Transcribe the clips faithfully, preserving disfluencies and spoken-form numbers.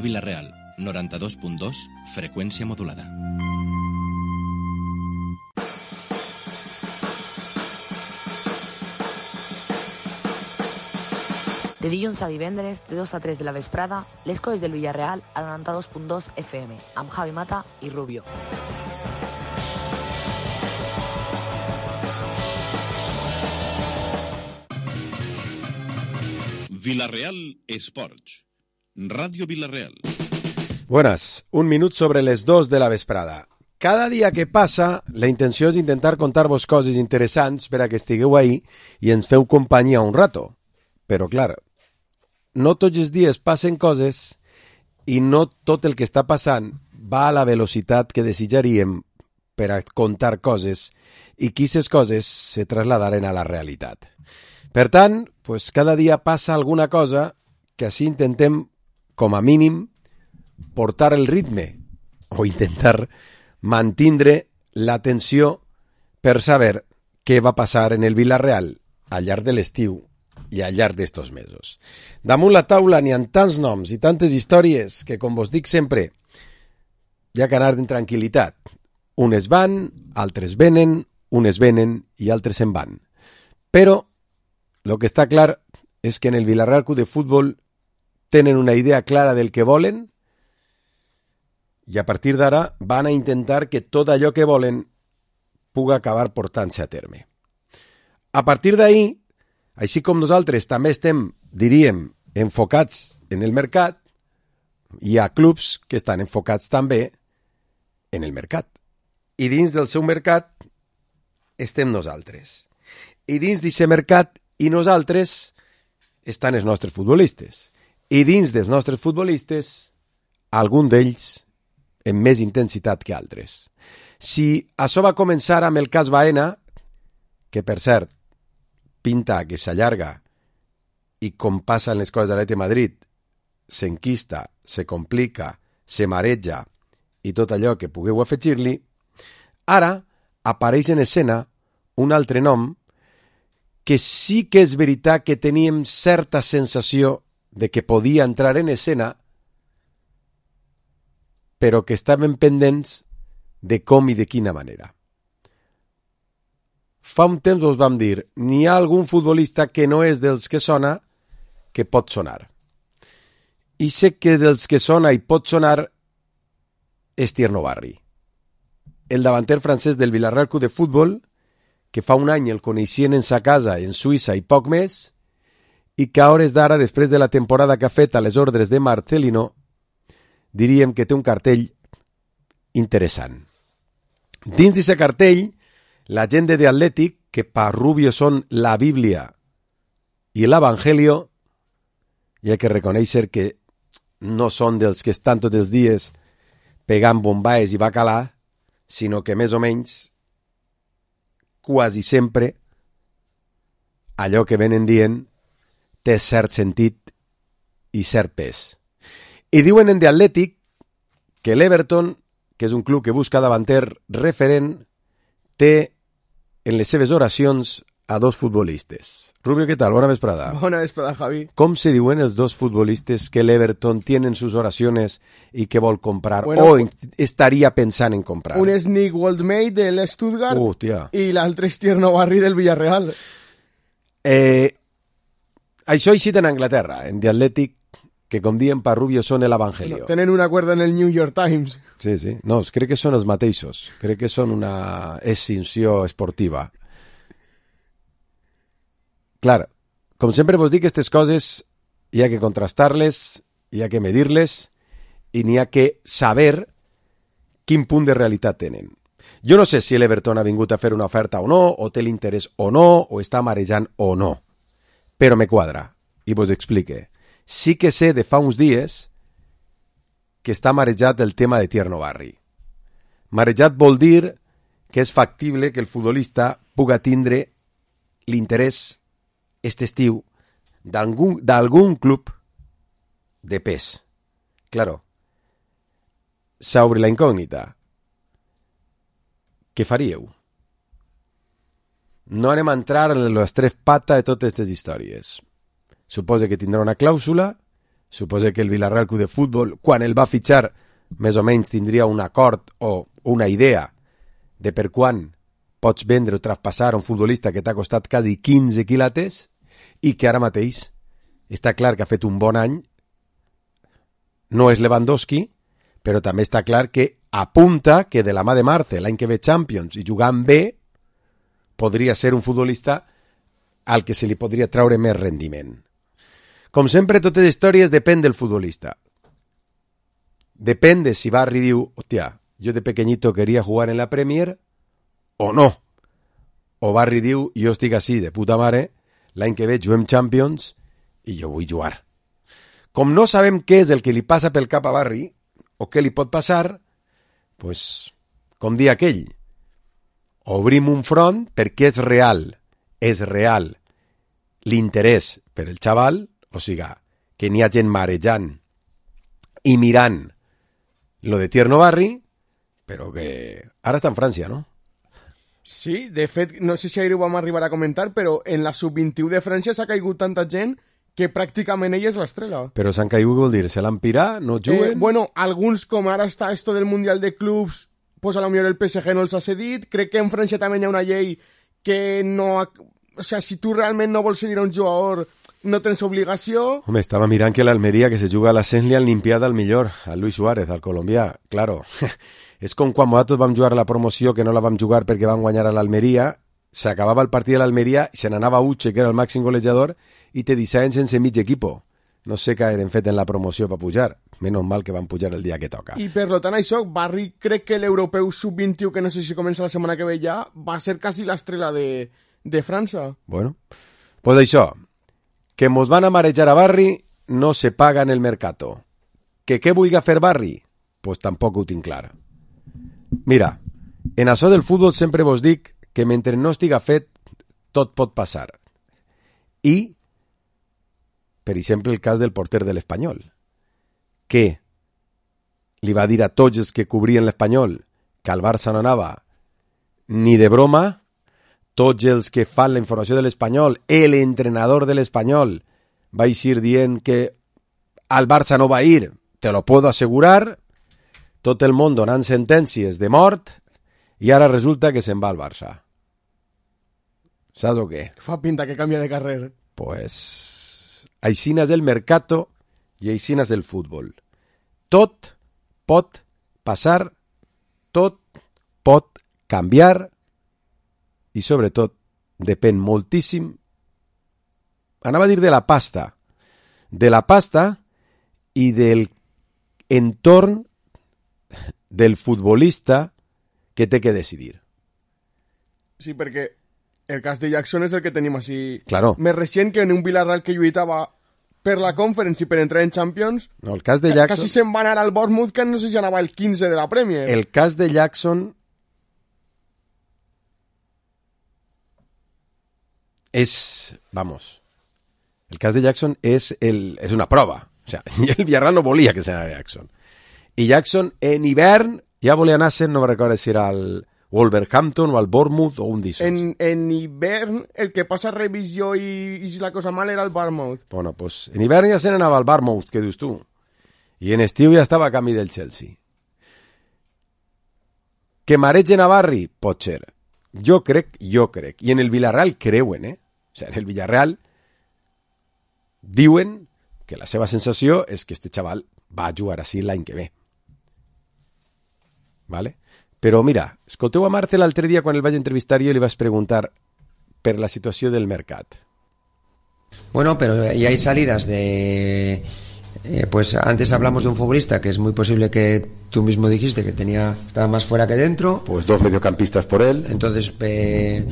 Vila-real, noranta-dos punt dos, freqüència modulada. De dilluns a divendres, de dos a tres de la vesprada, les coses del Villarreal a noranta-dos punt dos F M, amb Javi Mata i Rubio. Vila-real Esports. Radio Vila-real. Buenas, un minut sobre les dos de la vesprada. Cada dia que passa, la intenció és intentar contar-vos coses interessants per a que estigueu ahí i ens feu companyia un rato. Però, clar, no tots els dies passen coses i no tot el que està passant va a la velocitat que desitjaríem per a contar coses i que aquestes coses se trasladaren a la realitat. Per tant, pues, cada dia passa alguna cosa que així intentem, com a mínim, portar el ritme o intentar mantindre l'atenció per saber què va passar en el Vila-real al llarg de l'estiu i al llarg d'estos mesos. Damunt la taula n'hi ha tants noms i tantes històries que, com vos dic sempre, hi ha que anar en tranquil·litat. Unes van, altres venen, unes venen i altres se'n van. Però lo que està clar és que en el Vila-real Club de Futbol tenen una idea clara del que volen i a partir d'ara van a intentar que tot allò que volen pugui acabar portant-se a terme. A partir d'ahir, així com nosaltres també estem, diríem, enfocats en el mercat, hi ha clubs que estan enfocats també en el mercat. I dins del seu mercat estem nosaltres. I dins d'aquest mercat i nosaltres estan els nostres futbolistes. I dins dels nostres futbolistes, algun d'ells amb més intensitat que altres. Si això va començar amb el cas Baena, que per cert, pinta que s'allarga i com passen les coses a l'Atlètic de Madrid, s'enquista, se complica, se mareja i tot allò que pugueu afegir-li, ara apareix en escena un altre nom que sí que és veritat que teníem certa sensació de que podia entrar en escena, però que estaven pendents de com i de quina manera. Fa un temps us vam dir, n'hi ha algun futbolista que no és dels que sona, que pot sonar. I sé que dels que sona i pot sonar és Tierno Barri, el davanter francès del Villarreal Club de Futbol, que fa un any el coneixien en sa casa en Suïssa i poc més, i que a hores d'ara, després de la temporada que ha fet a les ordres de Marcelino, diríem que té un cartell interessant. Dins d'aquest cartell, la gent de Atlètic, que per Rubio són la Bíblia i l'Evangelio, hi ha que reconèixer que no són dels que estan tots els dies pegant bombaes i bacalà, sinó que més o menys quasi sempre allò que venen dient té cert sentit i cert pes. I diuen en The Athletic que l'Everton, que és un club que busca davanter referent, té en les seves oracions a dos futbolistes. Rubio, què tal? Bona vesprada. Bona vesprada, Javi. Com se diuen els dos futbolistes que l'Everton tiene en sus oraciones i que vol comprar bueno, o estaria pensant en comprar? Un és Nick Waldmate del Stuttgart uh, tia. i l'altre és Tierno Barri del Villarreal. Eh, això així en Anglaterra, en The Athletic, que com diem per Rubio són l'Evangelio. No, tenen un acord en el New York Times. Sí, sí. No, crec que són els mateixos. Crec que són una extinció esportiva. Clar, com sempre vos dic, aquestes coses hi ha que contrastar-les, hi ha que medir-les i n'hi ha que saber quin punt de realitat tenen. Jo no sé si l'Everton ha vingut a fer una oferta o no, o té l'interès o no, o està marejant o no, però me quadra, i vos explique. Sí que sé de fa uns dies que està marejat el tema de Tierno Barri. Marejat vol dir que és factible que el futbolista puga tindre l'interès este estiu d'algun, d'algun club de pes. Claro, s'obre la incògnita. Què faríeu? No anem a entrar en les tres patas de totes aquestes històries. Suposa que tindrà una clàusula, Suposo que el Villarreal Club de Futbol, quan el va fitxar, més o menys tindria un acord o una idea de per quan pots vendre o traspassar un futbolista que t'ha costat quasi quinze quilates i que ara mateix està clar que ha fet un bon any. No és Lewandowski, però també està clar que apunta que de la mà de Marce l'any que ve Champions i jugant bé podria ser un futbolista al que se li podria traure més rendiment. Com sempre, totes les històries depèn del futbolista. Depèn de si Barry diu, hòstia, jo de pequeñito quería jugar en la Premier o no. O Barry diu, jo estic així de puta mare, l'any que ve juguem Champions i jo vull jugar. Com no sabem què és el que li passa pel cap a Barry o què li pot passar, pues, com dir aquell, obrim un front perquè és real, és real l'interès per el xaval, o sigui, que n'hi ha gent marejant i mirant lo de Tierno Barry, però que ara està en França, no? Sí, de fet, no sé si ahir ho vam arribar a comentar, però en la sub vint-i-u de França s'ha caigut tanta gent que pràcticament ell és l'estrella. Però s'han caigut, vol dir, se l'han pirat, no juguen? Eh, bueno, alguns, com ara està esto del Mundial de Clubs, pues a lo millor el P S G no els ha cedit. Crec que en França també hi ha una llei que no... O sea, si tu realment no vols cedir a un jugador, no tens obligació. Home, estava mirant que l'Almeria, que se juga a l'ascens, li han limpiat al millor, a Luis Suárez, al colombià. Claro, és com quan nosaltres vam jugar a la promoció, que no la vam jugar perquè vam guanyar a l'Almeria, s'acabava el partit de l'Almeria i se n'anava Uche, que era el màxim golejador, i te deixaven sense mig equipo. No sé què eren fet en la promoció per pujar. Menys mal que van pujar el dia que toca. I per lo tant això, Barry crec que l'europeu sub vint-i-u, que no sé si comença la setmana que ve ja, va ser quasi l'estrella de, de França. Bueno, pues això, que mos van a marejar a Barry no se paga en el mercato. Que què vulgui fer Barry? Pues tampoc ho tinc clar. Mira, en això del futbol sempre vos dic que mentre no estiga fet, tot pot passar. I, per exemple, el cas del porter de l'Espanyol, que li va dir a tots els que cobrien l'Espanyol que al Barça no anava ni de broma. Tots els que fan la informació de l'Espanyol, l'entrenador de l'Espanyol va eixir dient que al Barça no va ir, te lo puedo asegurar, tot el món donant sentències de mort i ara resulta que se'n va al Barça. Saps o què? Fa pinta que canvia de carrer. Pues aixina és el mercato i aixina és el futbol. Tot pot passar, tot pot canviar i sobretot depèn moltíssim, anava a dir de la pasta, de la pasta i del entorn del futbolista que té que decidir. Sí, perquè el cas de Jackson és el que tenim així. Claro. Més recent que en un Villarreal que lluitava per la Conference i per entrar en Champions. No, el cas de Jackson... Quasi se'n va anar al Bournemouth, que no sé si anava el quinze de la Premier. El cas de Jackson és, vamos, el cas de Jackson és, el, és una prova. O sea, el Villarreal no volia que se n'anara Jackson. I Jackson en hivern ja volia anar-se, no me recordo si era al Wolverhampton o al Bournemouth o un d'issos. En, en hivern el que passa revisió i, i si la cosa mal era el Bournemouth. Bueno, pues en hivern ja se n'anava al Bournemouth, que dius tu. I en estiu ja estava a camí del Chelsea. Que maregen a Barry? Pot ser. Jo crec, jo crec. I en el Villarreal creuen, eh? O sea, en el Villarreal diuen que la seva sensació és que este xaval va a jugar així l'any que ve. ¿Vale? Però mira, escolteu a Marce l'altre dia quan el vaig entrevistar jo li vaig preguntar per la situació del mercat. Bueno, pero ya hay salidas de... Eh, pues antes hablamos de un futbolista que es muy posible que tú mismo dijiste que tenía estaba más fuera que dentro. Pues dos mediocampistas por él. Entonces, eh,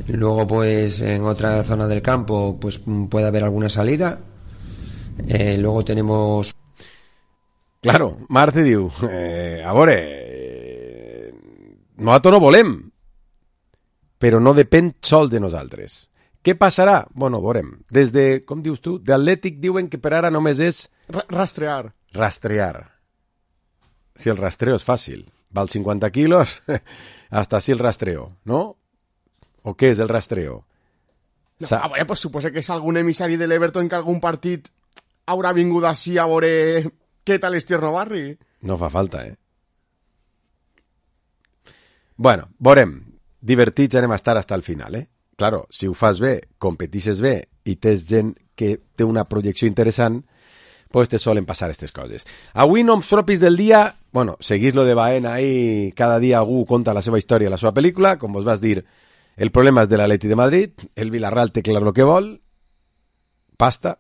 luego pues en otra zona del campo pues puede haber alguna salida. Eh, luego tenemos... Claro, Marce diu, eh, a veure, eh, nosaltres no volem, però no depèn sols de nosaltres. Què passarà? Bueno, veurem. Des de, com dius tu, d'Atlètic diuen que per ara només és... R rastrear. Rastrear. Si el rastreo és fàcil. Val cinquanta quilos, hasta si el rastreo, ¿no? ¿O què és el rastreo? No, a veure, pues suposa que és algun emissari de l'Everton que algun partit haurà vingut així a veure què tal és Tierno Barri. No fa falta, eh? Bueno, veurem. Divertits anem a estar fins al final, eh? Claro, si ho fas bé, competixes bé i tens gent que té una projecció interessant, pues te solen passar aquestes coses. Avui noms propis del dia, bueno, seguís lo de Baena ahí, cada dia algú conta la seva història, la seva pel·lícula, com vos vas dir, el problema és de l'Atleti de Madrid, el Villarreal té clar lo que vol, pasta,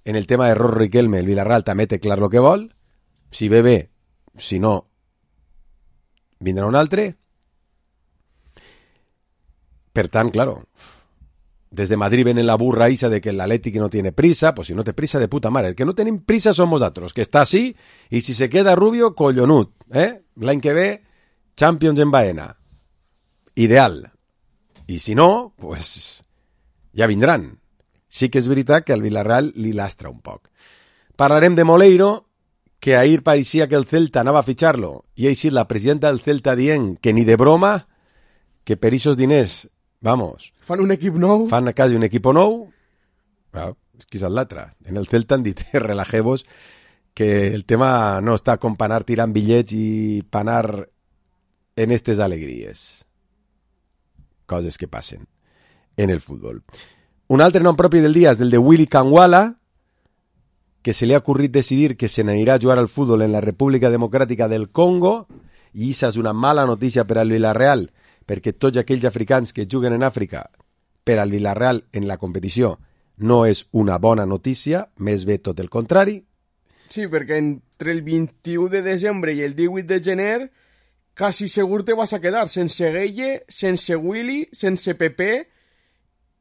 en el tema de Ros Riquelme, el Villarreal també té clar lo que vol, si ve bé, si no, vindrà un altre. Per tant, claro, desde Madrid ven en la burra esa de que el Atlético no tiene prisa, pues si no te prisa de puta madre. El que no tenim prisa somos nosotros, que está así, y si se queda Rubio, collonut, eh? L'any que ve, Champions en Baena. Ideal. I si no, pues ja vindran. Sí que és veritat que al Villarreal li lastra un poc. Parlarem de Moleiro, que ahir pareixia que el Celta anava a fitxar-lo, i així la presidenta del Celta dient que ni de broma, que per ixos diners, vamos... Fan un equip nou? Fan quasi un equip nou. Bueno, és que és l'altre. En el Celta han dit, relajemos, que el tema no està com per anar tirant bitllets i per anar en estes alegries. Coses que passen en el futbol. Un altre nom propi del dia és el de Willy Kangwala, que se li ha ocorrit decidir que se n'anirà a jugar al futbol en la República Democràtica del Congo, i això és una mala notícia per al Villarreal, perquè tots aquells africans que juguen en Àfrica per al Villarreal en la competició no és una bona notícia, més bé tot el contrari. Sí, perquè entre el vint-i-u de desembre i el divuit de gener quasi segur te vas a quedar sense Gueye, sense Willy, sense Pepe,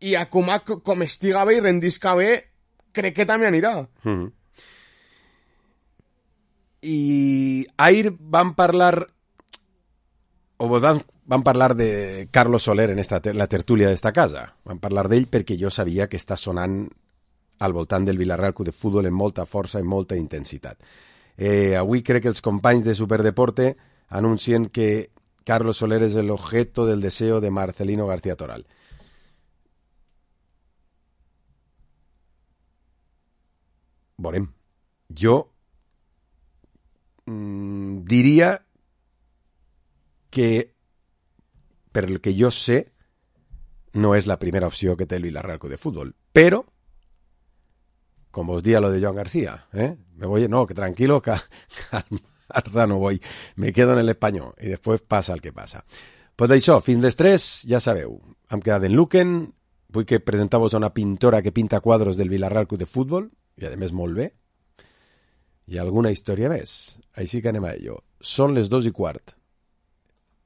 i a com, a, com estiga bé i rendisca bé, crec que també anirà. Mm-hmm. I ahir van parlar o van, van parlar de Carlos Soler en esta, la tertúlia d'esta casa. Van parlar d'ell perquè jo sabia que està sonant al voltant del Villarreal Club de Futbol en molta força i molta intensitat. Eh, avui crec que els companys de Superdeporte anuncien que Carlos Soler és el objeto del deseo de Marcelino García Toral. Veurem. Jo mmm, diria que, per el que jo sé, no és la primera opció que té el Villarreal Club de Futbol. Però, com vos dia lo de Joan García, ¿eh? Me voy, no, que tranquilo, que al no voy, me quedo en el Espanyol, i després passa el que passa. Pues d'això, fins les tres, ja sabeu, hem quedat en Luquen, vull que presenteu-vos una pintora que pinta quadros del Villarreal Club de Futbol, i a més molt bé, i alguna història més. Així que anem a ello. Són les dos i quart.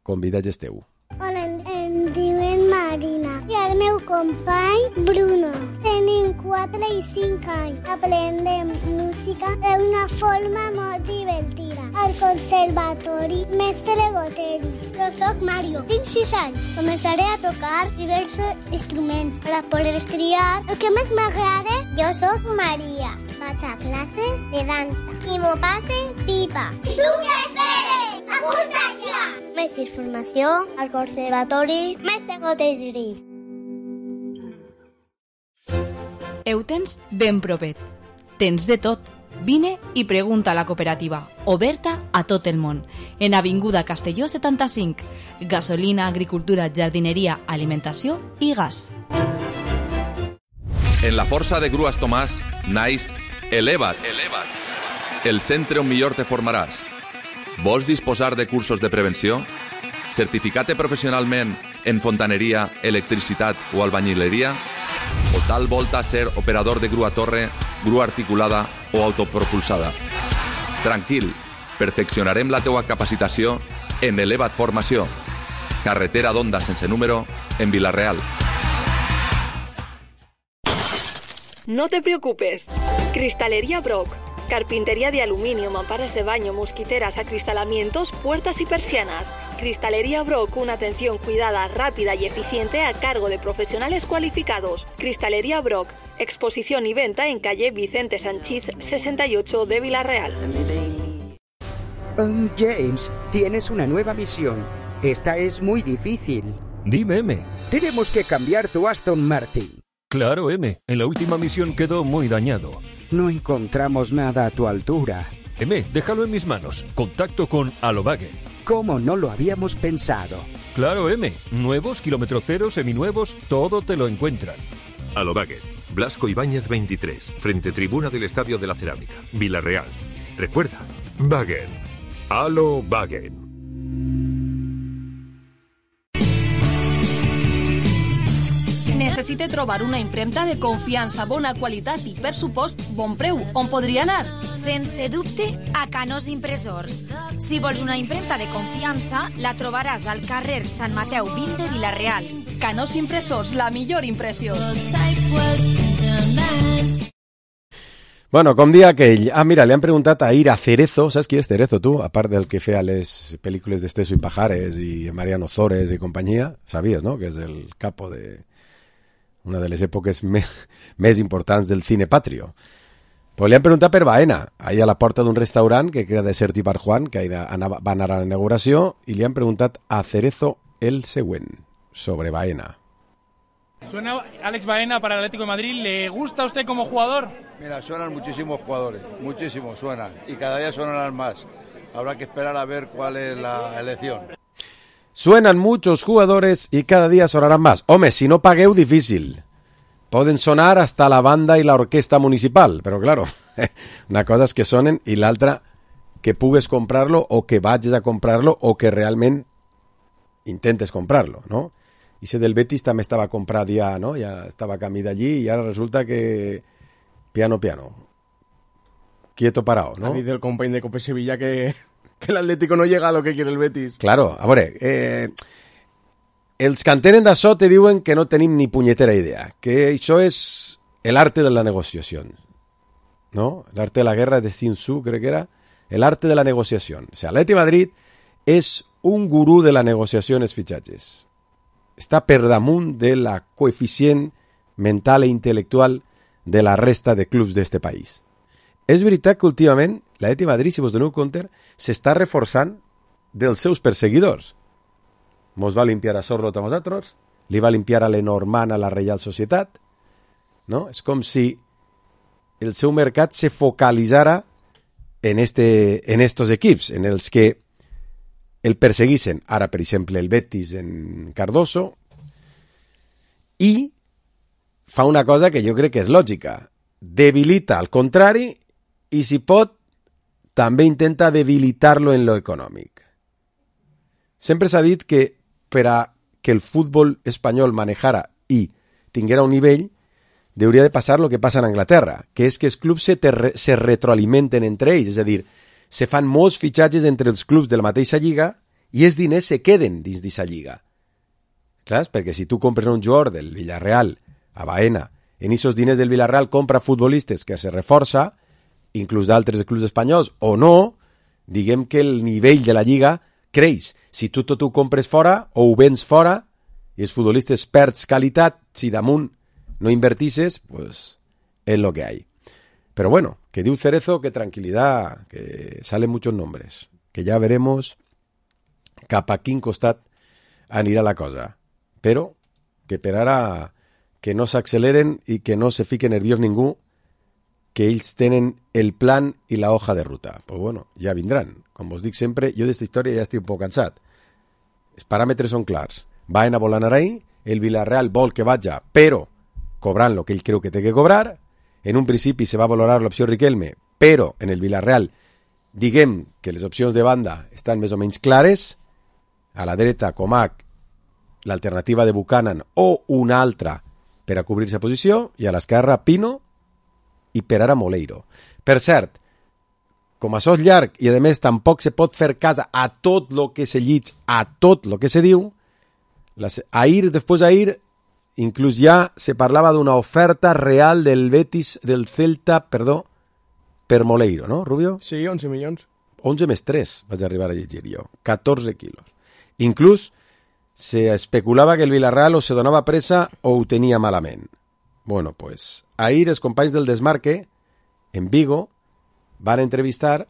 Convidats esteu. Hola, em, em diuen Marina i el meu company Bruno. Tenim quatre i cinc anys. Aprendem música d'una forma molt divertida. Al conservatori Mestre Goteris. Jo soc Mario, tinc sis anys. Començaré a tocar diversos instruments per a poder triar el que més m'agrada. Jo soc Maria. Vaig a classes de dansa i m'ho passe pipa. I tu què esperes? Apunta't ja! Més informació al Conservatori Mestre Goteris. Ho tens ben propet. Tens de tot. Vine i pregunta a la cooperativa, oberta a tot el món. En Avinguda Castelló setanta-cinc. Gasolina, agricultura, jardineria, alimentació i gas. En la força de Grues Tomàs naix Eleva't, Eleva't, el centre on millor te formaràs. Vols disposar de cursos de prevenció? Certificat professionalment en fontaneria, electricitat o albañileria? O tal volta ser operador de grua torre, grua articulada o autopropulsada? Tranquil, perfeccionarem la teua capacitació en Eleva't Formació. Carretera d'Onda sense número en Vila-real. No te preocupes. Cristalería Brock. Carpintería de aluminio, mamparas de baño, mosquiteras, acristalamientos, puertas y persianas. Cristalería Brock, una atención cuidada, rápida y eficiente a cargo de profesionales cualificados. Cristalería Brock, exposición y venta en calle Vicente Sanchís sesenta y ocho de Vila-real. Um, James, tienes una nueva misión. Esta es muy difícil. Dime, M. Tenemos que cambiar tu Aston Martin. Claro, M. En la última misión quedó muy dañado. No encontramos nada a tu altura. M, déjalo en mis manos. Contacto con Alobague. ¿Cómo no lo habíamos pensado? Claro, M. Nuevos, kilómetro cero, seminuevos, todo te lo encuentran. Alobague. Blasco Ibáñez veintitrés, frente tribuna del Estadio de la Cerámica, Villarreal. Recuerda, Wagen. Alobague. Necessite trobar una impremta de confiança, bona qualitat i, per supost, bon preu. On podria anar? Sense dubte, a Canós Impressors. Si vols una impremta de confiança, la trobaràs al carrer Sant Mateu vint de Vila-real. Canós Impressors, la millor impressió. Bueno, com dia aquell... Ah, mira, li han preguntat a Ira Cerezo, saps qui és Cerezo, tu? A part del que feia les pel·lícules d'Esteso i Pajares i Mariano Zores i companyia, sabies, no?, que és el capo de una de les èpoques més, més importants del cine patrio. Pues li han preguntat per Baena, ahí a la porta d'un restaurant que era de Sergi Barjuan, que anava, va anar a la inauguració, i li han preguntat a Cerezo el següent, sobre Baena. Suena Alex Baena para el Atlético de Madrid. ¿Le gusta a usted como jugador? Mira, suenan muchísimos jugadores, muchísimos suenan, y cada día sonarán más. Habrá que esperar a ver cuál es la elección. Suenan muchos jugadores y cada día sonarán más. Home, si no pagueu, difícil. Poden sonar hasta la banda i l'orquestra municipal, però claro, una cosa és que sonen i l'altra que pugues comprar-lo o que vagis a comprar-lo o que realment intentes comprar-lo, ¿no? I ese del Betis també estava comprat ja, ¿no? Ja estava camí d'allí i ara resulta que piano, piano. Quieto parado, ¿no? Ha dit el company de Cope Sevilla que, que el Atlético no llega a lo que quiere el Betis. Claro, a veure, eh, els que entenen d'això te diuen que no tenim ni punyetera idea, que això és el arte de la negociació, ¿no? El arte de la guerra de Sun Tzu, crec que era, el arte de la negociació. O sea, l'Atleti Madrid és un gurú de la negociació en els fitxatges. Està per damunt de la coeficient mental i intel·lectual de la resta de clubs d'este país. És veritat que últimament l'Atleti Madrid, si vos doneu compte, s'està reforçant dels seus perseguidors. Mos va limpiar a Sorlot a nosaltres, li va limpiar a Lenormand a la Reial Societat, no? És com si el seu mercat se focalitzara en, este, en estos equips, en els que el perseguissin. Ara, per exemple, el Betis en Cardoso, i fa una cosa que jo crec que és lògica. Debilita al contrari i, si pot, també intenta debilitar-lo en lo econòmic. Sempre s'ha dit que per a que el futbol espanyol manejara i tinguera un nivell, hauria de passar el que passa en Anglaterra, que és que els clubs se, ter- se retroalimenten entre ells, és a dir, se fan molts fitxatges entre els clubs de la mateixa lliga i els diners se queden dins d'aquesta lliga. Clar, perquè si tu compres un jugador del Villarreal a Baena, en aquests diners del Villarreal compra futbolistes que se reforça, inclús d'altres clubs espanyols, o no, diguem que el nivell de la lliga creix. Si tu tot ho compres fora o ho vens fora i els futbolistes perds qualitat, si damunt no invertisses, pues es lo que hay. Pero bueno, que diu Cerezo que tranquilidad, que salen muchos nombres, que ya veremos cap a quin costat anirà la cosa. Però que per ara que no s'acceleren i que no se fique nerviós ningú, que ells tenen el plan i la hoja de ruta. Pues bueno, ja vindran. Com vos dic sempre, jo d'esta història ja estic un poc cansat. Els paràmetres són clars. Baena vol anar ahí, el Villarreal vol que vaja, però cobrant lo que ell creu que té que cobrar. En un principi se va valorar l'opció Riquelme, però en el Villarreal diguem que les opcions de banda estan més o menys clares. A la dreta, Comac, l'alternativa de Buchanan o una altra per a cobrir-se posició, i a l'esquerra, Pino, i per ara Moleiro. Per cert, com això és llarg i a més tampoc se pot fer cas a tot lo que se llig, a tot lo que se diu, las, ahir, després d'ahir, inclús ja se parlava d'una oferta real del Betis, del Celta, perdó, per Moleiro, no, Rubio? Sí, onze milions. onze més tres vaig arribar a llegir jo, catorze quilos. Inclús se especulava que el Villarreal o se donava pressa o ho tenia malament. Bueno, pues, ahir els companys del Desmarque, en Vigo, van entrevistar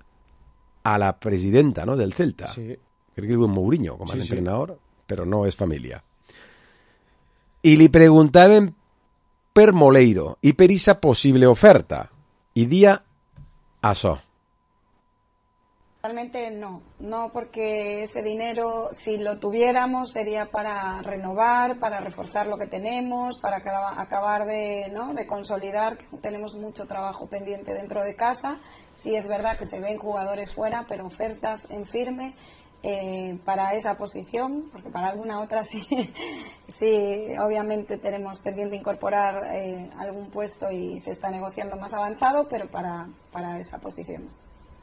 a la presidenta, ¿no?, del Celta. Sí. Crec que diu Mourinho, com a sí, entrenador, sí. Però no és família. I li preguntaven per Moleiro i per esa possible oferta. I dia això. Realmente no, no porque ese dinero, si lo tuviéramos, sería para renovar, para reforzar lo que tenemos, para acabar de, ¿no? de consolidar, que tenemos mucho trabajo pendiente dentro de casa. Sí es verdad que se ven jugadores fuera, pero ofertas en firme eh, para esa posición, porque para alguna otra sí, sí obviamente tenemos pendiente incorporar eh, algún puesto y se está negociando más avanzado, pero para, para esa posición.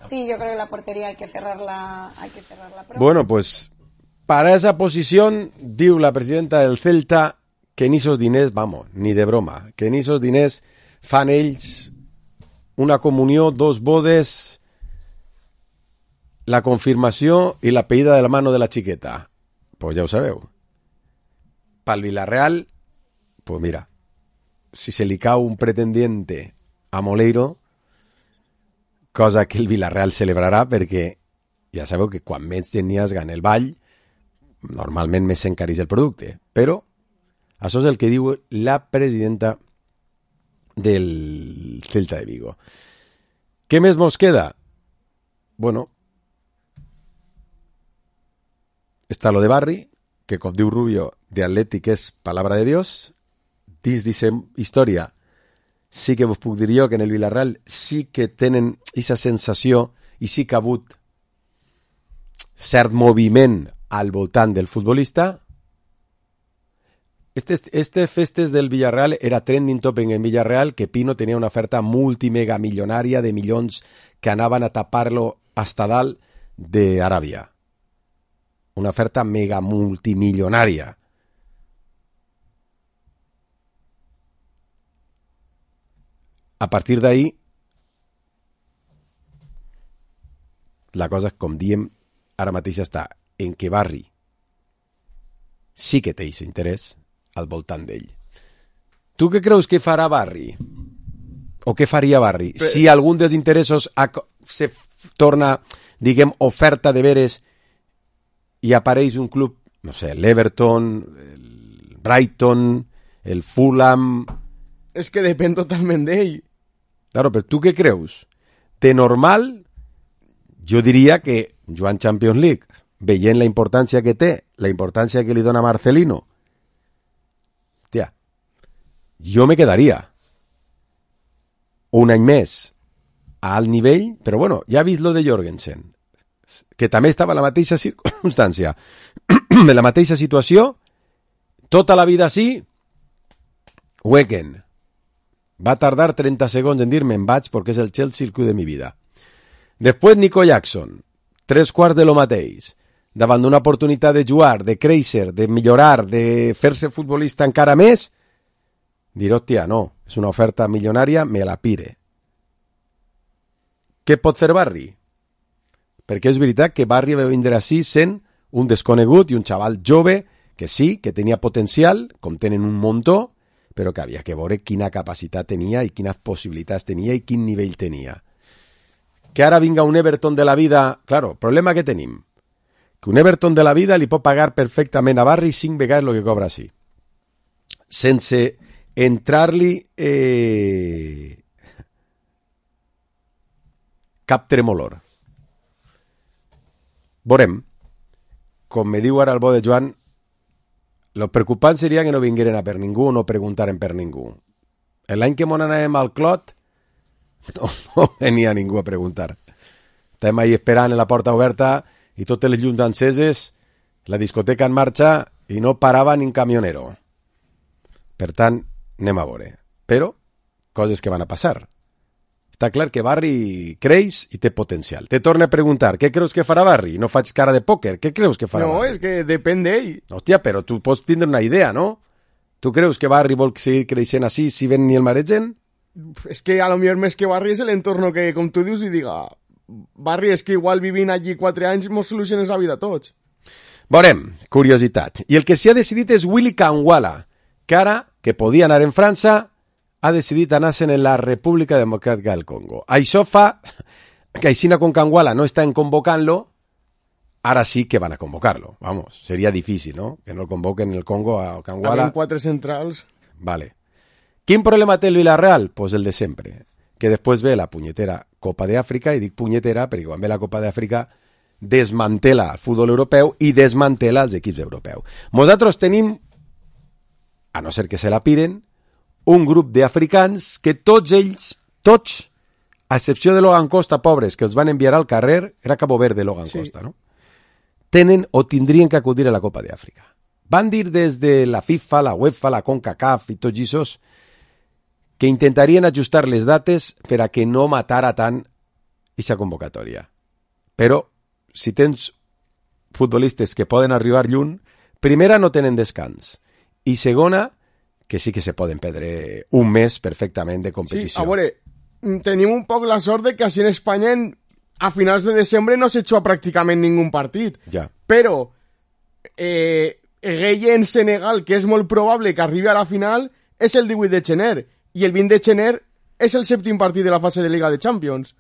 Sí, yo creo que la portería hay que cerrarla, hay que cerrarla pronto. Bueno, pues para esa posición, diu la presidenta del Celta que ni esos diners, vamos, ni de broma, que ni esos diners fan ells una comunió, dos bodes, la confirmació i la pedida de la mano de la xiqueta. Pues ja ho sabeu. Pel Villarreal, pues mira, si se li cau un pretendiente a Moleiro, cosa que el Villarreal celebrarà perquè ja sabeu que quan més genies gana el ball, normalment més s'encareix el producte. Però això és el que diu la presidenta del Celta de Vigo. Què més mos queda? Bueno, està lo de Barri, que com diu Rubio, de Atlètic és palabra de Dios. Dins d'aquesta història sí que vos puc dir jo que en el Villarreal sí que tenen aquesta sensació i sí que ha hagut cert moviment al voltant del futbolista. Este, este festes del Villarreal era trending topic en Villarreal, que Pino tenia una oferta multimega milionària de milions que anaven a tapar-lo hasta dalt d'Aràbia. Una oferta mega multimilionària. A partir d'ahí, la cosa, com diem, ara mateix està en que Barri sí que té aquest interès al voltant d'ell. Tu què creus que farà Barri? O què faria Barri? Però... si algun dels interessos se torna, diguem, oferta de veres i apareix un club, no sé, l'Everton, el Brighton, el Fulham... És que depèn totalment d'ell. Claro, però tu què creus? De normal, jo diria que jugant Champions League, veient la importància que té, la importància que li dona Marcelino, hòstia, jo me quedaria un any més a alt nivell, però bueno, ja he vist lo de Jorgensen, que també estava en la mateixa circumstància, en la mateixa situació, tota la vida així, Weekend. Va tardar treinta segons en dir-me en vaig perquè és el Chelsea el club de mi vida. Després Nico Jackson, tres quarts de lo mateix, davant d'una oportunitat de jugar, de créixer, de millorar, de fer-se futbolista encara més, dir, hòstia, no, és una oferta milionària, me la pire. Què pot fer Barri? Perquè és veritat que Barri va vindre així sent un desconegut i un xaval jove que sí, que tenia potencial, com tenen un muntó, però que havia que veure quina capacitat tenia i quines possibilitats tenia i quin nivell tenia. Que ara vinga un Everton de la vida... Claro, problema que tenim. Que un Everton de la vida li pot pagar perfectament a Barri cinc vegades el que cobra així. Sense entrar-li eh... cap tremolor. Veurem. Com me diu ara el bo de Joan, lo preocupant seria que no vingueren a per ningú o no preguntaren per ningú. L'any que mon anàvem al Clot, no, no venia ningú a preguntar. Estàvem ahí esperant en la porta oberta i totes les llums enceses, la discoteca en marxa i no parava ni un camionero. Per tant, anem a veure. Però, coses que van a passar. Està clar que Barri creix i té potencial. Te torna a preguntar, què creus que farà Barri? No faig cara de pòquer, què creus que farà no, Barri? No, és que depèn d'ell. Hòstia, però tu pots tindre una idea, no? Tu creus que Barri vol seguir creixent així si ven ni el maregen? És que a lo millor més que Barri és l'entorno que, com tu dius, i diga, Barri, és que igual vivint allí quatre anys mos soluciones la vida a tots. Veurem, curiositat. I el que s'hi ha decidit és Willy Kangwala, que ara, que podia anar en França, ha decidit anar-se'n en la República Democràtica del Congo. Això fa que aixina con Kangwala no estan convocant-lo, ara sí que van a convocar-lo. Vamos, seria difícil, ¿no? Que no el convoquen en el Congo a Kangwala. Habían quatre centrals. Vale. Quin problema té el Villarreal? Pues el de sempre, que després ve la punyetera Copa d'Àfrica, i dic punyetera perquè quan ve la Copa d'Àfrica desmantela el futbol europeu i desmantela els equips europeus. Nosaltres tenim, a no ser que se la piren, un grup d'africans que tots ells, tots, a excepció de Logan Costa, pobres, que els van enviar al carrer, era Cabo Verde Logan sí. Costa, no? Tenen o tindrien que acudir a la Copa d'Àfrica. Van dir des de la FIFA, la UEFA, la CONCACAF i tots aquests que intentarien ajustar les dates per a que no matara tant aquesta convocatòria. Però, si tens futbolistes que poden arribar lluny, primera, no tenen descans. I segona, que sí que se poden perdre un mes perfectament de competició. Sí, a veure, tenim un poc la sort de que així en Espanya en, a finals de desembre no s'ha hecho pràcticament ningú partit. Ja. Però eh, Gueye en Senegal, que és molt probable que arribi a la final, és el divuit de gener. I el vint de gener és el sèptim partit de la fase de Liga de Champions.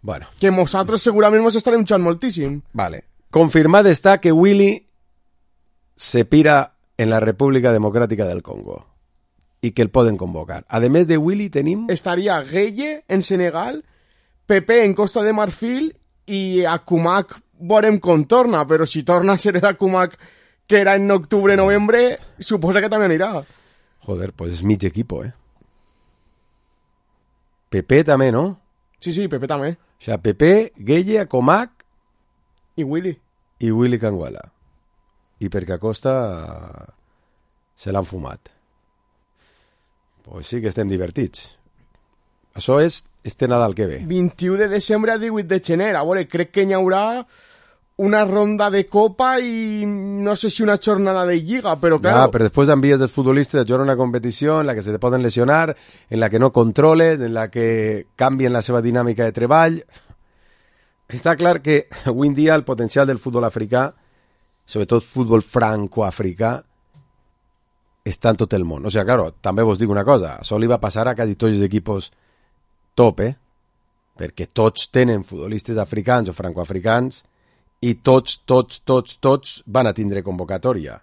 Bueno. Que nosaltres segurament ens estarem xant moltíssim. Vale. Confirmat està que Willy se pira en la República Democràtica del Congo i que el poden convocar. A més de Willy tenim... Estaria Gueye en Senegal, Pepe en Costa de Marfil i Akumak veurem com torna, però si torna a ser el Akumak que era en octubre-novembre, suposa que també anirà. Joder, pues és mig equipo, eh? Pepe també, no? Sí, sí, Pepe també. O sea, Pepe, Gueye, Akumak... I Willy. I Willy Canguela. I perquè Acosta se l'han fumat. Pues sí que estem divertits. Això és este Nadal que ve. vint-i-u de desembre a divuit de gener. A veure, crec que hi haurà una ronda de Copa i no sé si una jornada de Lliga, però claro... Ja, però després envies els futbolistes a jugar una competició en la que se te poden lesionar, en la que no controles, en la que canvien la seva dinàmica de treball... Està clar que avui en dia el potencial del futbol africà, sobretot futbol franco-africà, està en tot el món. O sigui, claro, també vos dic una cosa, això li va passar a quasi tots els equipos top, eh? Perquè tots tenen futbolistes africans o francoafricans i tots, tots, tots, tots van a tindre convocatòria,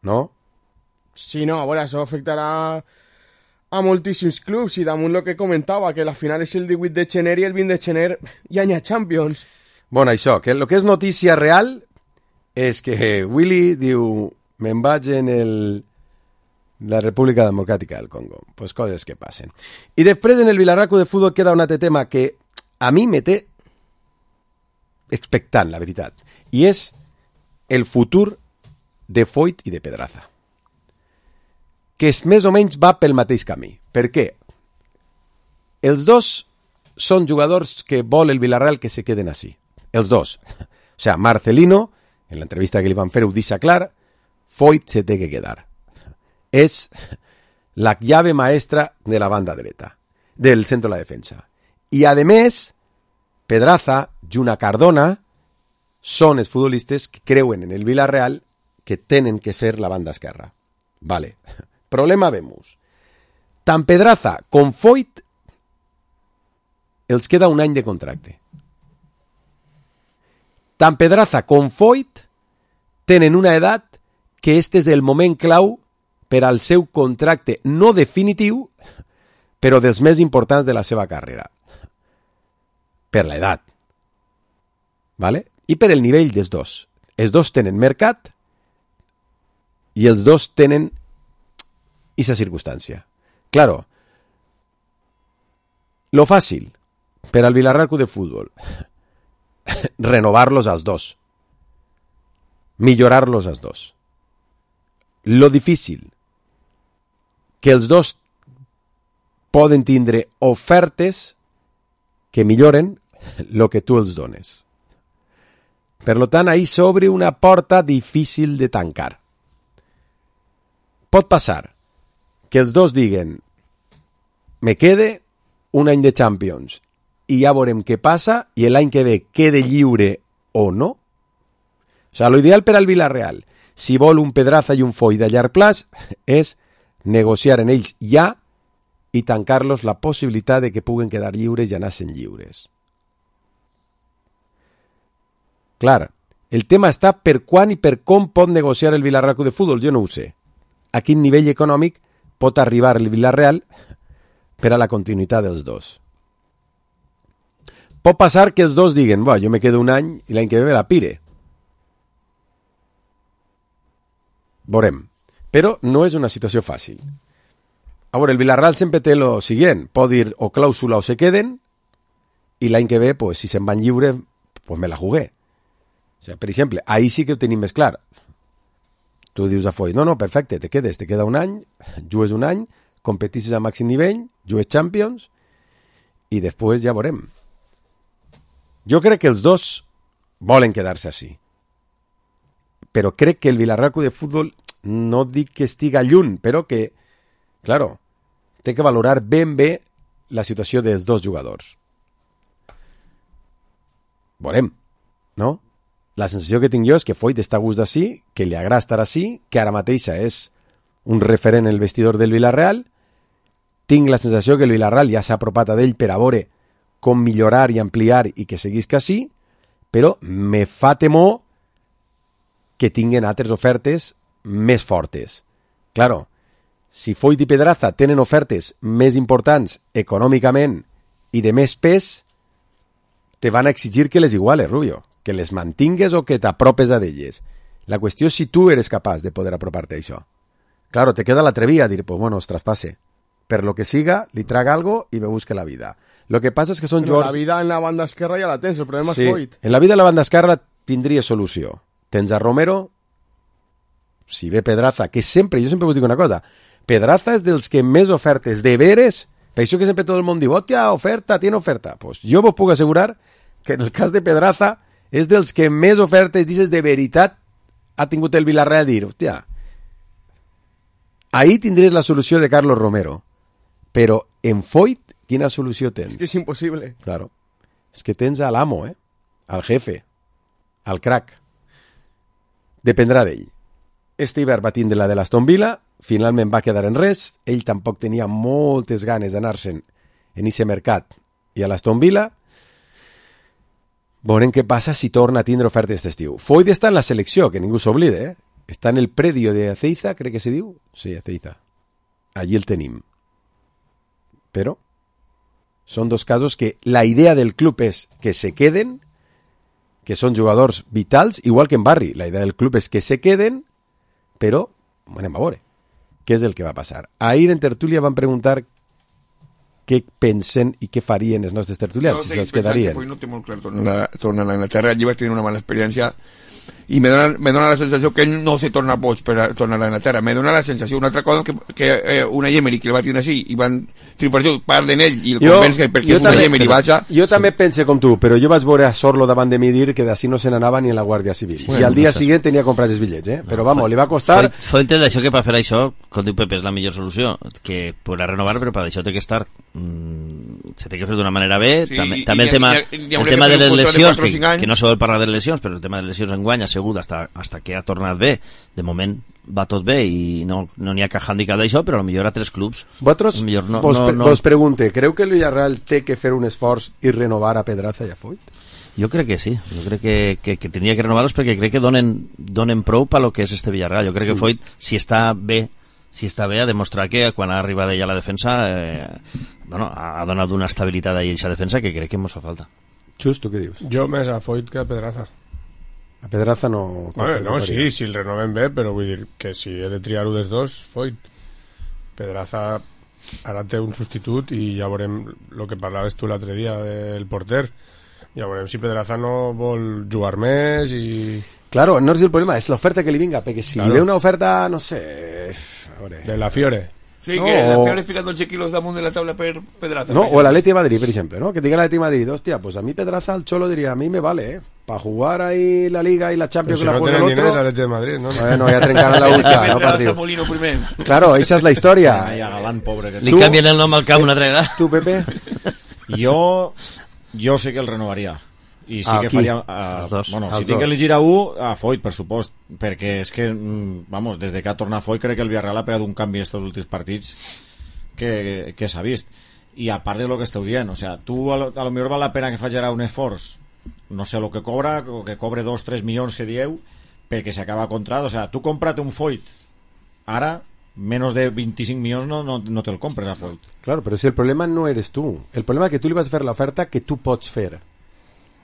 no? Sí, no, a veure, això afectarà a moltíssims clubs i damunt el que comentava, que la final és el divuit de gener i el vint de gener ja n'hi ha Champions. Bueno, això, que el que és notícia real és que Willy diu me'n vaig en el... la República Democràtica del Congo. Pues coses que passen. I després en el Vilarraco de futbol queda un altre tema que a mi me té expectant, la veritat. I és el futur de Foyt i de Pedraza, que és més o menys va pel mateix camí. Per què? Els dos són jugadors que vol el Villarreal que se queden així. Els dos. O sea, Marcelino, en l'entrevista que li van fer, ho deixa clar, Foyt se té que quedar. És la llave maestra de la banda dreta, del centro de la defensa. I, a més, Pedraza, Juna Cardona, són els futbolistes que creuen en el Villarreal que tenen que fer la banda esquerra. Vale. Problema vemos. Tant Pedraza com Foyt els queda un any de contracte. Tant Pedraza com Foyt tenen una edat que este és el moment clau per al seu contracte no definitiu, però dels més importants de la seva carrera. Per l'edat. Vale? I per el nivell dels dos. Els dos tenen mercat i els dos tenen esa circunstància. Claro, lo fàcil per al Vilarraco de futbol, renovar-los als dos, millorar-los als dos. Lo difícil, que els dos poden tindre ofertes que milloren lo que tu els dones. Per lo tant, ahí s'obre una porta difícil de tancar. Pot passar que els dos diguen me quede un any de Champions i ja veurem què passa i l'any que ve quede lliure o no. O sigui, lo ideal per al Villarreal, si vol un Pedraza i un Foyt de llarg plaç, és negociar en ells ja i tancar-los la possibilitat de que puguen quedar lliures i anar-se'n lliures. Clar, el tema està per quan i per com pot negociar el Vilarraco de futbol, jo no ho sé. A quin nivell econòmic pot arribar el Villarreal per a la continuïtat dels dos. Pot passar que els dos diguen, bueno, jo me quedo un any i l'any que ve me la pire. Veurem. Però no és una situació fàcil. A veure, el Villarreal sempre té lo siguiente, pot dir o clàusula o se queden, i l'any que ve, pues, si se'n van lliure, pues me la jugué. O sea, per exemple, ahí sí que ho tenim més clar. Tu dius a Foyt, no, no, perfecte, te quedes, te queda un any, jugues un any, competisses a màxim nivell, jugues Champions, i després ja veurem. Jo crec que els dos volen quedar-se així. Però crec que el Villarreal Club de Futbol, no dic que estiga lluny, però que, claro, té que valorar ben bé la situació dels dos jugadors. Veurem, no? La sensació que tinc jo és que Foyt està a gust d'ací, que li agrada estar ací, que ara mateixa és un referent en el vestidor del Villarreal. Tinc la sensació que el Villarreal ja s'ha apropat a d'ell per a veure com millorar i ampliar i que seguisca així, però me fa temor que tinguen altres ofertes més fortes. Claro, si Foyt i Pedraza tenen ofertes més importants econòmicament i de més pes, te van a exigir que les iguales, Rubio, que les mantingues o que t'apropes a d'elles. La qüestió és si tu eres capaç de poder apropar-te a això. Claro, te queda l'atrevia a dir, pues bueno, os traspase. Per lo que siga, li traga algo i me busque la vida. Lo que passa és que són Però jugadors... la vida en la banda esquerra ja la tens, el problema Sí, és Foyt. en la vida en la banda esquerra tindria solució. Tens a Romero, si ve Pedraza, que sempre, jo sempre us dic una cosa, Pedraza és dels que més ofertes de veres, per això que sempre tot el món diu, hòstia, oferta, tiene oferta. Pues jo vos puc assegurar que en el cas de Pedraza és dels que més ofertes, dices, de veritat ha tingut el Villarreal a dir, hòstia, ahí tindries la solució de Carlos Romero, però en Foyt, quina solució tens? És que és impossible. Claro. És que tens a l'amo, eh? Al jefe, al crack. Dependrà d'ell. Este hivern va tindre la de l'Aston Villa, finalment va quedar en res, ell tampoc tenia moltes ganes d'anar-se'n en ese mercat i a l'Aston Villa. Veurem què passa si torna a tindre ofertes d'estiu. Foyt està en la selecció, que ningú s'oblide, eh? Està en el predio de Ezeiza, crec que se diu. Sí, Ezeiza. Allí el tenim. Però són dos casos que la idea del club és que se queden, que són jugadors vitals, igual que en Barri. La idea del club és que se queden, però, anem a veure, què és el que va passar. Ahir en tertúlia van preguntar què pensen i què farien els nostres tertulians, no, si se'ls quedarien. No té molt clar tornar, tornar a Inglaterra. Allí vaig tenir una mala experiència i me dona, me dona la sensació que ell no se torna boig per a tornar a Inglaterra. Me dona la sensació, una altra cosa, que, que eh, una Emery que el va tenir així i van tripartir, parlen ell i el convenç que perquè una Emery vaja... Jo també pense com tu, però jo vaig veure a Sorlo davant de mi dir que d'ací no se n'anava ni en la Guàrdia Civil. Bueno, i al dia no següent tenia comprat els bitllets, eh? Però vamos, li va costar... Foyt d'això que per fer això, com diu Pepe, és la millor solució, que podrà renovar, però per això té que estar... Mm, se té que fer d'una manera bé. Sí, també i, també i, el tema, i, i, el tema de les lesions, de que, que no se vol parlar de lesions, però el tema de lesions enguany ha sigut hasta, hasta que ha tornat bé. De moment va tot bé i no n'hi no ha cap handicap d'això, però potser a tres clubs. Vosaltres, no, vos, no, no... vos pregunte, creu que el Villarreal té que fer un esforç i renovar a Pedraza i a Foyt? Jo crec que sí, jo crec que, que, que tindria que renovar-los perquè crec que donen, donen prou per lo que és este Villarreal. Jo crec que Foyt, si està bé, si està bé, ha demostrat que quan ha arribat ella a la defensa eh, bueno, ha donat una estabilitat a aquesta defensa que crec que ens fa falta. Just, tu què dius? Jo més a Foyt que a Pedraza. A Pedraza no... Bueno, no, sí, si el renovem bé, però vull dir que si he de triar-ho dels dos, Foyt. Pedraza ara té un substitut i ja veurem el que parlaves tu l'altre dia del porter. Ja veurem si Pedraza no vol jugar més i... Claro, no és el problema, és l'oferta que li vinga, perquè si claro. Li ve una oferta, no sé... A veure... De la Fiore. Sí, no, que la Fiore fica dotze quilos damunt de la taula per Pedraza. No, o l'Atleti de Madrid, per exemple, ¿no? Que diga l'Atleti de Madrid, hostia, pues a mí Pedraza al Cholo diría, a mí me vale, ¿eh? Para jugar ahí la Liga y la Champions que la juega el otro... Pero si no tiene el Atleti de Madrid, ¿no? Bueno, ya trencaran la hucha, no partido. Molino primer. Claro, esa es la historia. Ay, a Galán, pobre. Que... Li canvien el nom al camp una altra vegada. Tu, Pepe? Jo, jo sé que el renovaria. I sí ah, que aquí. faria uh, dos. Bueno, els si tinc dos. que elegir a un, a Foyt, per supost, perquè és que vamos, des de que ha tornat Foyt crec que el Villarreal ha pegat un canvi estos últims partits que, que s'ha vist, i a part de lo que esteu dient, o sea, tu a lo, a lo millor val la pena que faci ara un esforç, no sé lo que cobra, o que cobre dos tres milions que dieu perquè s'acaba contrat, o sea, tu compra't un Foyt ara menos de veinticinc milions no, no, no te'l compres a Foyt. Claro, però si el problema no eres tu. El problema és que tu li vas fer l'oferta que tu pots fer.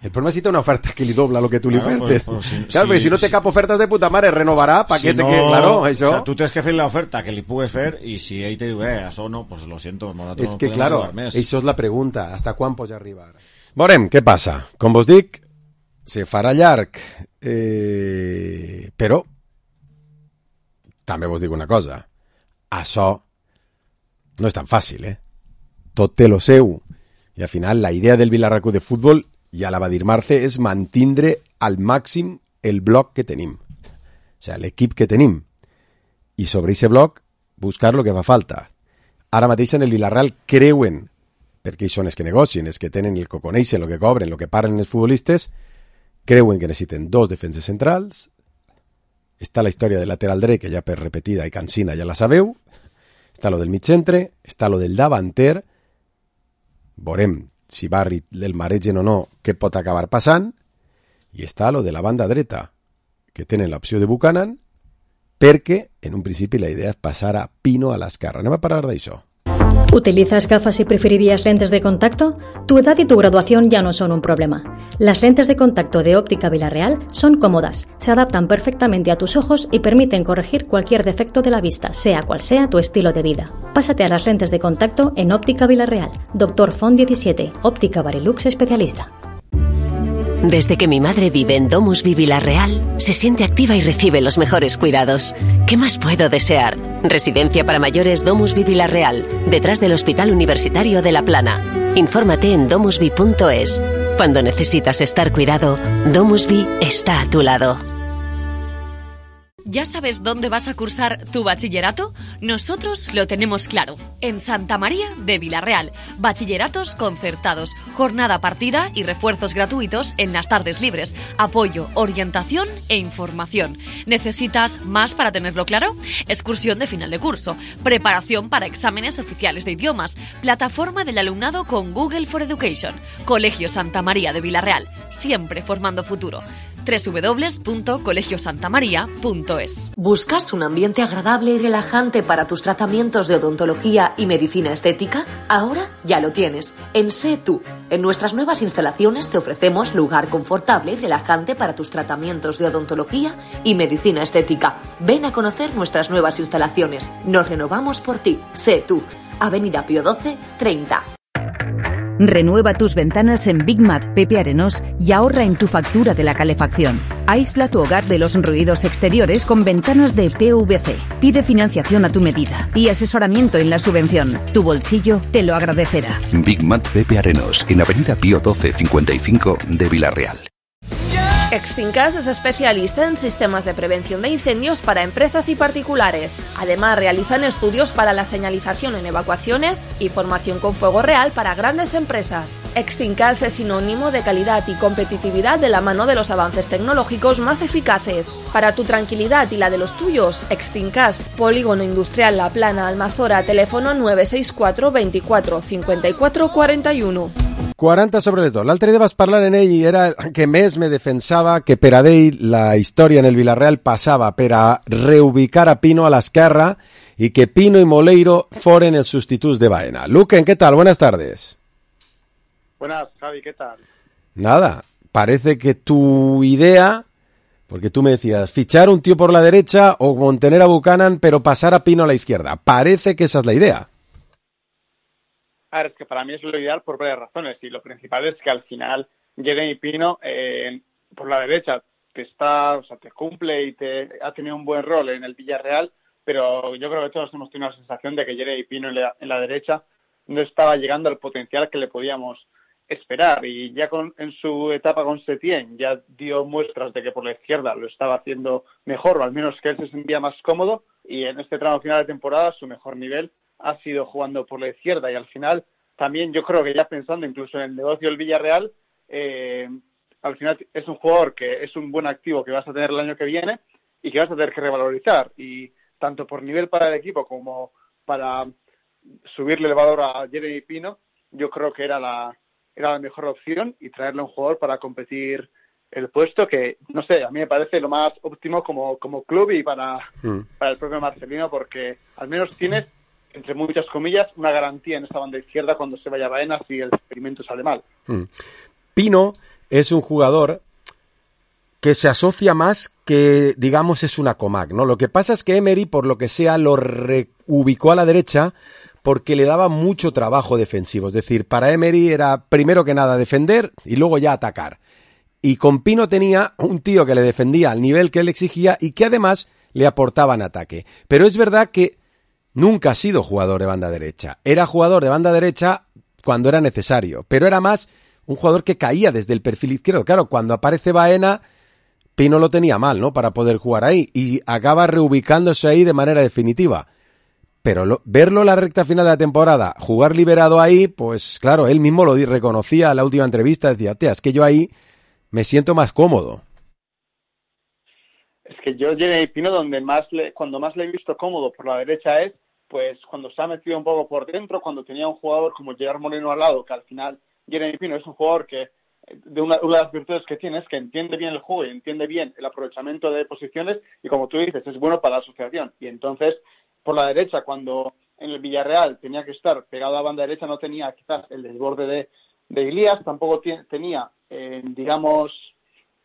El problema és si té una oferta que li dobla el que tu li Claro, ofertes. pues, pues, si- claro, si- perquè si no té si- cap oferta de puta mare, renovarà, paquete Si no, que... Claro, això... O sea, tu tens que fer l'oferta que li pugues fer i si ell te diu, eh, això no, pues lo siento, nosaltres És no que, podem claro, arribar més. això és la pregunta. Hasta quan pots arribar? Veurem què passa. Com vos dic, se farà llarg. Eh... Però també vos dic una cosa. Això no és tan fàcil, eh? Tot té lo seu. I al final la idea del Vilarracú de futbol, ja la va dir Marce, és mantindre al màxim el bloc que tenim. O sigui, l'equip que tenim. I sobre aquest bloc buscar lo que fa falta. Ara mateix en el Villarreal creuen, perquè ells són els que negocien, els que tenen el que coneixen, el que cobren, el que paguen els futbolistes, creuen que necessiten dos defenses centrals. Està la història del lateral dret, que ja per repetida i cansina ja la sabeu. Està lo del mig centre, està lo del davanter. Veurem si Barri el maregen o no, què pot acabar passant. I està lo de la banda dreta, que tenen l'opció de Buchanan, perquè en un principi la idea és passar a Pino a l'esquerra. Anem a parlar d'això. ¿Utilizas gafas y preferirías lentes de contacto? Tu edad y tu graduación ya no son un problema. Las lentes de contacto de Óptica Villarreal son cómodas, se adaptan perfectamente a tus ojos y permiten corregir cualquier defecto de la vista, sea cual sea tu estilo de vida. Pásate a las lentes de contacto en Óptica Villarreal. Doctor Font diecisiete, Óptica Barilux especialista. Desde que mi madre vive en Domus Vi Villarreal, se siente activa y recibe los mejores cuidados. ¿Qué más puedo desear? Residencia para mayores Domus Vi Villarreal, detrás del Hospital Universitario de La Plana. Infórmate en domusvi punto es. Cuando necesitas estar cuidado, Domus Vi está a tu lado. ¿Ya sabes dónde vas a cursar tu bachillerato? Nosotros lo tenemos claro. En Santa María de Villarreal. Bachilleratos concertados, jornada partida y refuerzos gratuitos en las tardes libres. Apoyo, orientación e información. ¿Necesitas más para tenerlo claro? Excursión de final de curso. Preparación para exámenes oficiales de idiomas. Plataforma del alumnado con Google for Education. Colegio Santa María de Villarreal. Siempre formando futuro. doble u doble u doble u punto colegio santa maría punto es. ¿Buscas un ambiente agradable y relajante para tus tratamientos de odontología y medicina estética? Ahora ya lo tienes. En Sé Tú. En nuestras nuevas instalaciones te ofrecemos lugar confortable y relajante para tus tratamientos de odontología y medicina estética. Ven a conocer nuestras nuevas instalaciones. Nos renovamos por ti. Sé Tú. Avenida Pío doce, treinta. Renueva tus ventanas en Big Mat Pepe Arenós y ahorra en tu factura de la calefacción. Aísla tu hogar de los ruidos exteriores con ventanas de P V C. Pide financiación a tu medida y asesoramiento en la subvención. Tu bolsillo te lo agradecerá. Big Mat Pepe Arenós, en Avenida Pío doce cincuenta y cinco de Villarreal. Extincas es especialista en sistemas de prevención de incendios para empresas y particulares. Además, realizan estudios para la señalización en evacuaciones y formación con fuego real para grandes empresas. Extincas es sinónimo de calidad y competitividad de la mano de los avances tecnológicos más eficaces. Para tu tranquilidad y la de los tuyos, Extincas, Polígono Industrial La Plana, Almazora, teléfono nueve seis cuatro veinticuatro cincuenta y cuatro cuarenta y uno. quaranta sobre les dos. L'altre dia vas parlar en ell i era el que més me defensava que per a ell la història en el Villarreal passava per a reubicar a Pino a l'esquerra y que Pino y Moleiro foren els sustituts de Baena. Luquen, ¿qué tal? Buenas tardes. Buenas, Javi, ¿qué tal? Nada, parece que tu idea, porque tú me decías, fichar un tío por la derecha o mantener a Buchanan pero pasar a Pino a la izquierda. Parece que esa es la idea. A ver, es que para mí es lo ideal por varias razones y lo principal es que al final Jeremy Pino eh, por la derecha te está, o sea, te cumple y te ha tenido un buen rol en el Villarreal, pero yo creo que todos hemos tenido la sensación de que Jeremy Pino en la, en la derecha no estaba llegando al potencial que le podíamos esperar y ya con, en su etapa con Setién ya dio muestras de que por la izquierda lo estaba haciendo mejor o al menos que él se sentía más cómodo y en este tramo final de temporada su mejor nivel ha sido jugando por la izquierda y al final también yo creo que ya pensando incluso en el negocio del Villarreal, eh, al final es un jugador que es un buen activo que vas a tener el año que viene y que vas a tener que revalorizar y tanto por nivel para el equipo como para subirle el valor a Jeremy Pino, yo creo que era la, era la mejor opción y traerle un jugador para competir el puesto que, no sé, a mí me parece lo más óptimo como, como club y para, mm. para el propio Marcelino, porque al menos tienes, entre muchas comillas, una garantía en esta banda izquierda cuando se vaya Baena si el experimento sale mal. Mm. Pino es un jugador que se asocia más que, digamos, es una Comac, ¿no? Lo que pasa es que Emery, por lo que sea, lo reubicó a la derecha porque le daba mucho trabajo defensivo. Es decir, para Emery era primero que nada defender y luego ya atacar. Y con Pino tenía un tío que le defendía al nivel que él exigía y que además le aportaba en ataque. Pero es verdad que nunca ha sido jugador de banda derecha. Era jugador de banda derecha cuando era necesario, pero era más un jugador que caía desde el perfil izquierdo. Claro, cuando aparece Baena, Pino lo tenía mal, ¿no?, para poder jugar ahí, y acaba reubicándose ahí de manera definitiva. Pero lo, verlo en la recta final de la temporada, jugar liberado ahí, pues claro, él mismo lo reconocía en la última entrevista, decía, hostia, es que yo ahí me siento más cómodo. Es que yo, Jeremy Pino, donde más le, cuando más le he visto cómodo por la derecha es, pues cuando se ha metido un poco por dentro, cuando tenía un jugador como Gerard Moreno al lado, que al final Jeremy Pino es un jugador que de una, una de las virtudes que tiene es que entiende bien el juego y entiende bien el aprovechamiento de posiciones y, como tú dices, es bueno para la asociación. Y entonces, por la derecha, cuando en el Villarreal tenía que estar pegado a la banda derecha, no tenía quizás el desborde de, de Ilías, tampoco t- tenía, eh, digamos,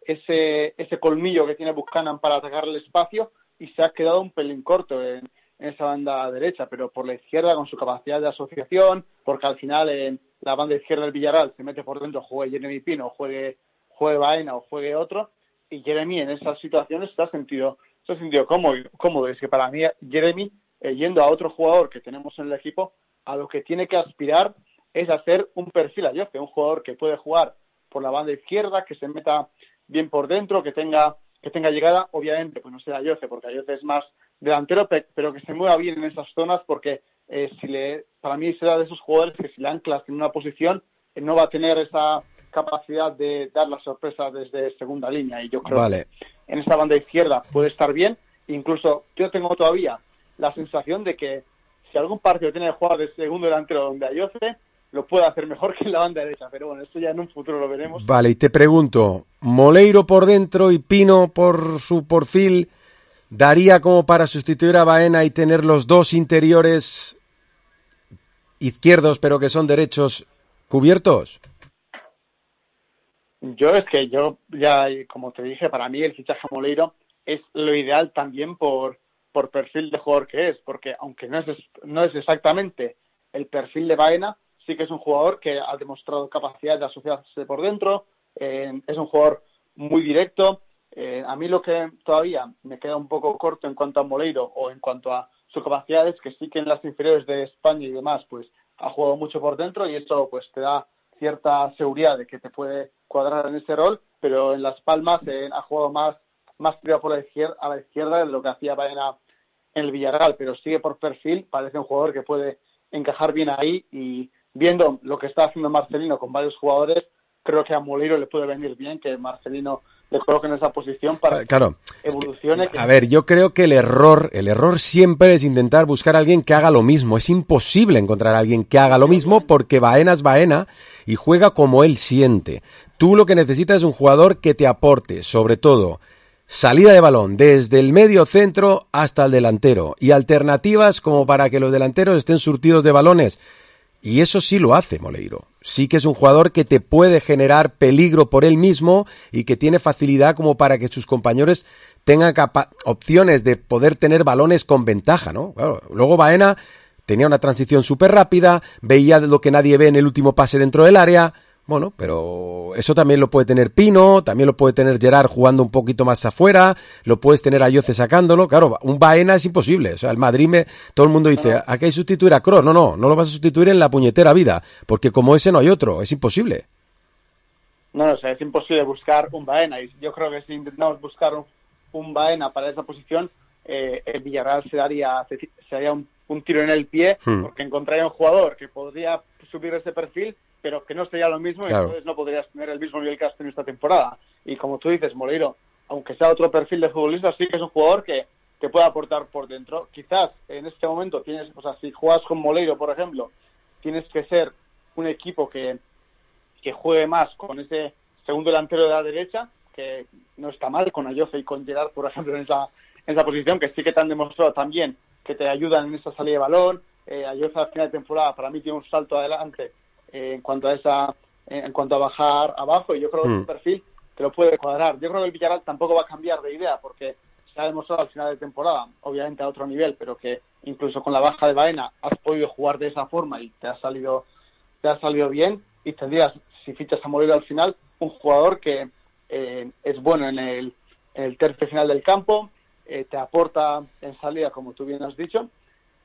ese ese colmillo que tiene Buchanan para atacar el espacio, y se ha quedado un pelín corto en, en esa banda derecha, pero por la izquierda, con su capacidad de asociación, porque al final en la banda izquierda del Villarreal se mete por dentro, juegue Jeremy Pino, juegue, juegue Baena o juegue otro, y Jeremy en esas situaciones se ha sentido, se ha sentido cómodo, cómodo. Es que para mí Jeremy, eh, yendo a otro jugador que tenemos en el equipo, a lo que tiene que aspirar es hacer un perfil a Ayoce, un jugador que puede jugar por la banda izquierda, que se meta bien por dentro, que tenga que tenga llegada, obviamente, pues no será Ayoce, porque Ayoce es más delantero, pero que se mueva bien en esas zonas, porque eh, si le, para mí será de esos jugadores que si le anclas en una posición, eh, no va a tener esa capacidad de dar la sorpresa desde segunda línea, y yo creo vale. que en esa banda izquierda puede estar bien. Incluso yo tengo todavía la sensación de que si algún partido tiene que jugar de segundo delantero donde Ayoce, lo puede hacer mejor que en la banda derecha, pero bueno, eso ya en un futuro lo veremos. Vale, y te pregunto, Moleiro por dentro y Pino por su perfil, ¿daría como para sustituir a Baena y tener los dos interiores izquierdos, pero que son derechos, cubiertos? Yo es que yo, ya como te dije, para mí el fichaje a Moleiro es lo ideal también por, por perfil de jugador que es, porque aunque no es, no es exactamente el perfil de Baena, sí que es un jugador que ha demostrado capacidad de asociarse por dentro, eh, es un jugador muy directo. Eh, a mí lo que todavía me queda un poco corto en cuanto a Moleiro o en cuanto a su capacidad es que sí que en las inferiores de España y demás pues ha jugado mucho por dentro, y eso pues te da cierta seguridad de que te puede cuadrar en ese rol, pero en Las Palmas eh, ha jugado más, más tirado por la izquierda, a la izquierda de lo que hacía Baena en el Villarreal, pero sigue por perfil, parece un jugador que puede encajar bien ahí, y viendo lo que está haciendo Marcelino con varios jugadores, creo que a Moleiro le puede venir bien que Marcelino le coloque en esa posición para claro, que evolucione. Es que, a ver, yo creo que el error, el error siempre es intentar buscar a alguien que haga lo mismo. Es imposible encontrar a alguien que haga lo mismo, porque Baena es Baena y juega como él siente. Tú lo que necesitas es un jugador que te aporte, sobre todo, salida de balón desde el medio centro hasta el delantero, y alternativas como para que los delanteros estén surtidos de balones. Y eso sí lo hace Moleiro. Sí que es un jugador que te puede generar peligro por él mismo y que tiene facilidad como para que sus compañeros tengan capa- opciones de poder tener balones con ventaja, ¿no? Claro, luego Baena tenía una transición súper rápida, veía lo que nadie ve en el último pase dentro del área. Bueno, pero eso también lo puede tener Pino, también lo puede tener Gerard jugando un poquito más afuera, lo puedes tener a Ayoce sacándolo. Claro, un Baena es imposible. O sea, el Madrid, me, todo el mundo dice, ¿a qué hay que sustituir a Kroos? No, no, no lo vas a sustituir en la puñetera vida, porque como ese no hay otro, es imposible. No, o sea, es imposible buscar un Baena, y yo creo que si intentamos buscar un, un Baena para esa posición, eh, el Villarreal se daría, se, se daría un, un tiro en el pie, hmm. porque encontraría un jugador que podría subir ese perfil, pero que no sería lo mismo, claro. Y entonces no podrías tener el mismo nivel que has tenido esta temporada. Y como tú dices, Moleiro, aunque sea otro perfil de futbolista, sí que es un jugador que te puede aportar por dentro. Quizás en este momento tienes, o sea, si juegas con Moleiro, por ejemplo, tienes que ser un equipo que, que juegue más con ese segundo delantero de la derecha, que no está mal con Ayoce y con Gerard, por ejemplo, en esa, en esa posición, que sí que te han demostrado también que te ayudan en esa salida de balón. Eh, Ayoce al final de temporada para mí tiene un salto adelante eh, en cuanto a esa eh, en cuanto a bajar abajo, y yo creo que mm. su perfil te lo puede cuadrar. Yo creo que el Villarreal tampoco va a cambiar de idea, porque se ha demostrado al final de temporada, obviamente a otro nivel, pero que incluso con la baja de Baena has podido jugar de esa forma y te ha salido te ha salido bien, y tendrías, si fichas a Moleiro al final, un jugador que eh, es bueno en el, en el tercio final del campo, eh, te aporta en salida, como tú bien has dicho,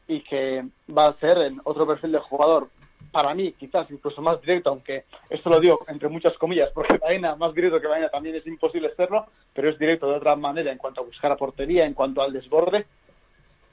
y que va a ser en otro perfil de jugador, para mí quizás incluso más directo, aunque esto lo digo entre muchas comillas, porque Baena, más directo que Baena también es imposible serlo, pero es directo de otra manera en cuanto a buscar a portería, en cuanto al desborde,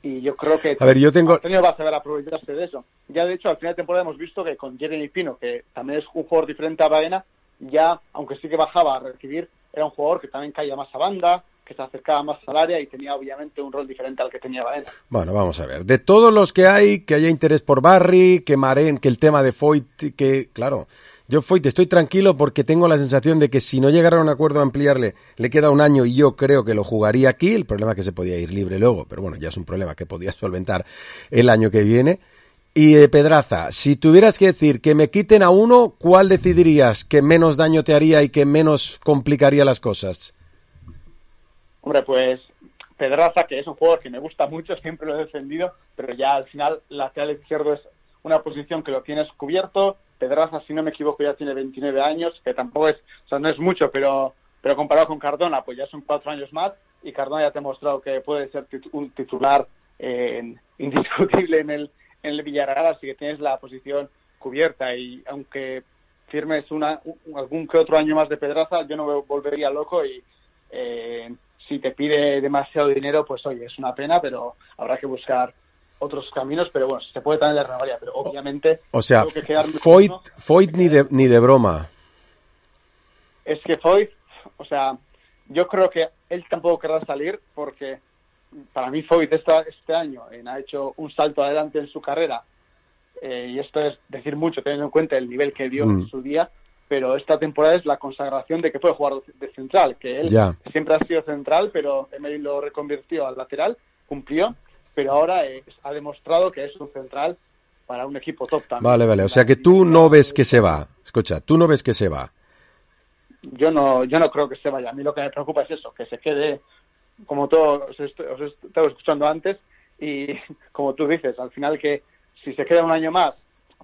y yo creo que a ver, yo tengo... Antonio va a saber aprovecharse de eso. Ya de hecho al final de temporada hemos visto que con Jeremy Pino, que también es un jugador diferente a Baena, ya, aunque sí que bajaba a recibir, era un jugador que también caía más a banda, que se acercaba más al área y tenía obviamente un rol diferente al que tenía Baena. Bueno, vamos a ver. De todos los que hay, que haya interés por Barry, que Maren, que el tema de Foyt, que, claro, yo Foyt estoy tranquilo porque tengo la sensación de que si no llegara a un acuerdo a ampliarle, le queda un año y yo creo que lo jugaría aquí. El problema es que se podía ir libre luego, pero bueno, ya es un problema que podía solventar el año que viene. Y de Pedraza, si tuvieras que decir que me quiten a uno, ¿cuál decidirías que menos daño te haría y que menos complicaría las cosas? Hombre, pues Pedraza, que es un jugador que me gusta mucho, siempre lo he defendido, pero ya al final lateral izquierdo es una posición que lo tienes cubierto. Pedraza, si no me equivoco, ya tiene veintinueve años, que tampoco es, o sea, no es mucho, pero pero comparado con Cardona, pues ya son cuatro años más, y Cardona ya te ha mostrado que puede ser tit- un titular eh, indiscutible en el, en el Villarreal, así que tienes la posición cubierta, y aunque firmes una, un, algún que otro año más de Pedraza, yo no me volvería loco, y eh, si te pide demasiado dinero, pues oye, es una pena, pero habrá que buscar otros caminos, pero bueno, se puede también la renovaría, pero obviamente... O sea, Foyt, Foyt ni de ni de broma. Es que Foyt, o sea, yo creo que él tampoco querrá salir, porque para mí Foyt esta, este año eh, ha hecho un salto adelante en su carrera, eh, y esto es decir mucho, teniendo en cuenta el nivel que dio mm. en su día, pero esta temporada es la consagración de que puede jugar de central, que él ya. siempre ha sido central, pero Emery lo reconvirtió al lateral, cumplió, pero ahora eh, ha demostrado que es un central para un equipo top también. Vale, vale, o sea que tú no ves que se va, escucha, tú no ves que se va. Yo no yo no creo que se vaya, a mí lo que me preocupa es eso, que se quede, como todo, os, est- os he estado escuchando antes, y como tú dices, al final que si se queda un año más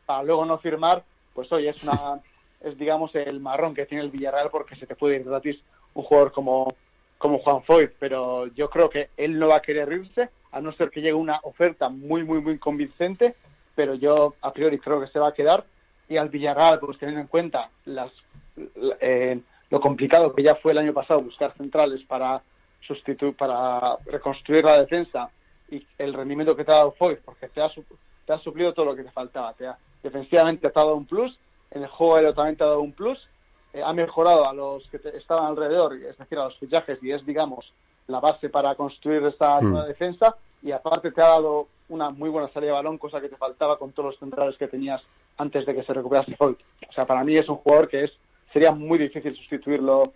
para luego no firmar, pues oye, es una... es digamos el marrón que tiene el Villarreal, porque se te puede ir gratis un jugador como, como Juan Foyt, pero yo creo que él no va a querer irse, a no ser que llegue una oferta muy, muy, muy convincente, pero yo a priori creo que se va a quedar, y al Villarreal, pues teniendo en cuenta las eh, lo complicado que ya fue el año pasado buscar centrales para sustituir, para reconstruir la defensa, y el rendimiento que te ha dado Foyt, porque te ha, te ha suplido todo lo que te faltaba, te ha, defensivamente te ha dado un plus, en el juego aéreo también te ha dado un plus, eh, ha mejorado a los que te estaban alrededor, es decir, a los fichajes, y es, digamos, la base para construir esta Mm. nueva defensa, y aparte te ha dado una muy buena salida de balón, cosa que te faltaba con todos los centrales que tenías antes de que se recuperase Foyt. O sea, para mí es un jugador que es sería muy difícil sustituirlo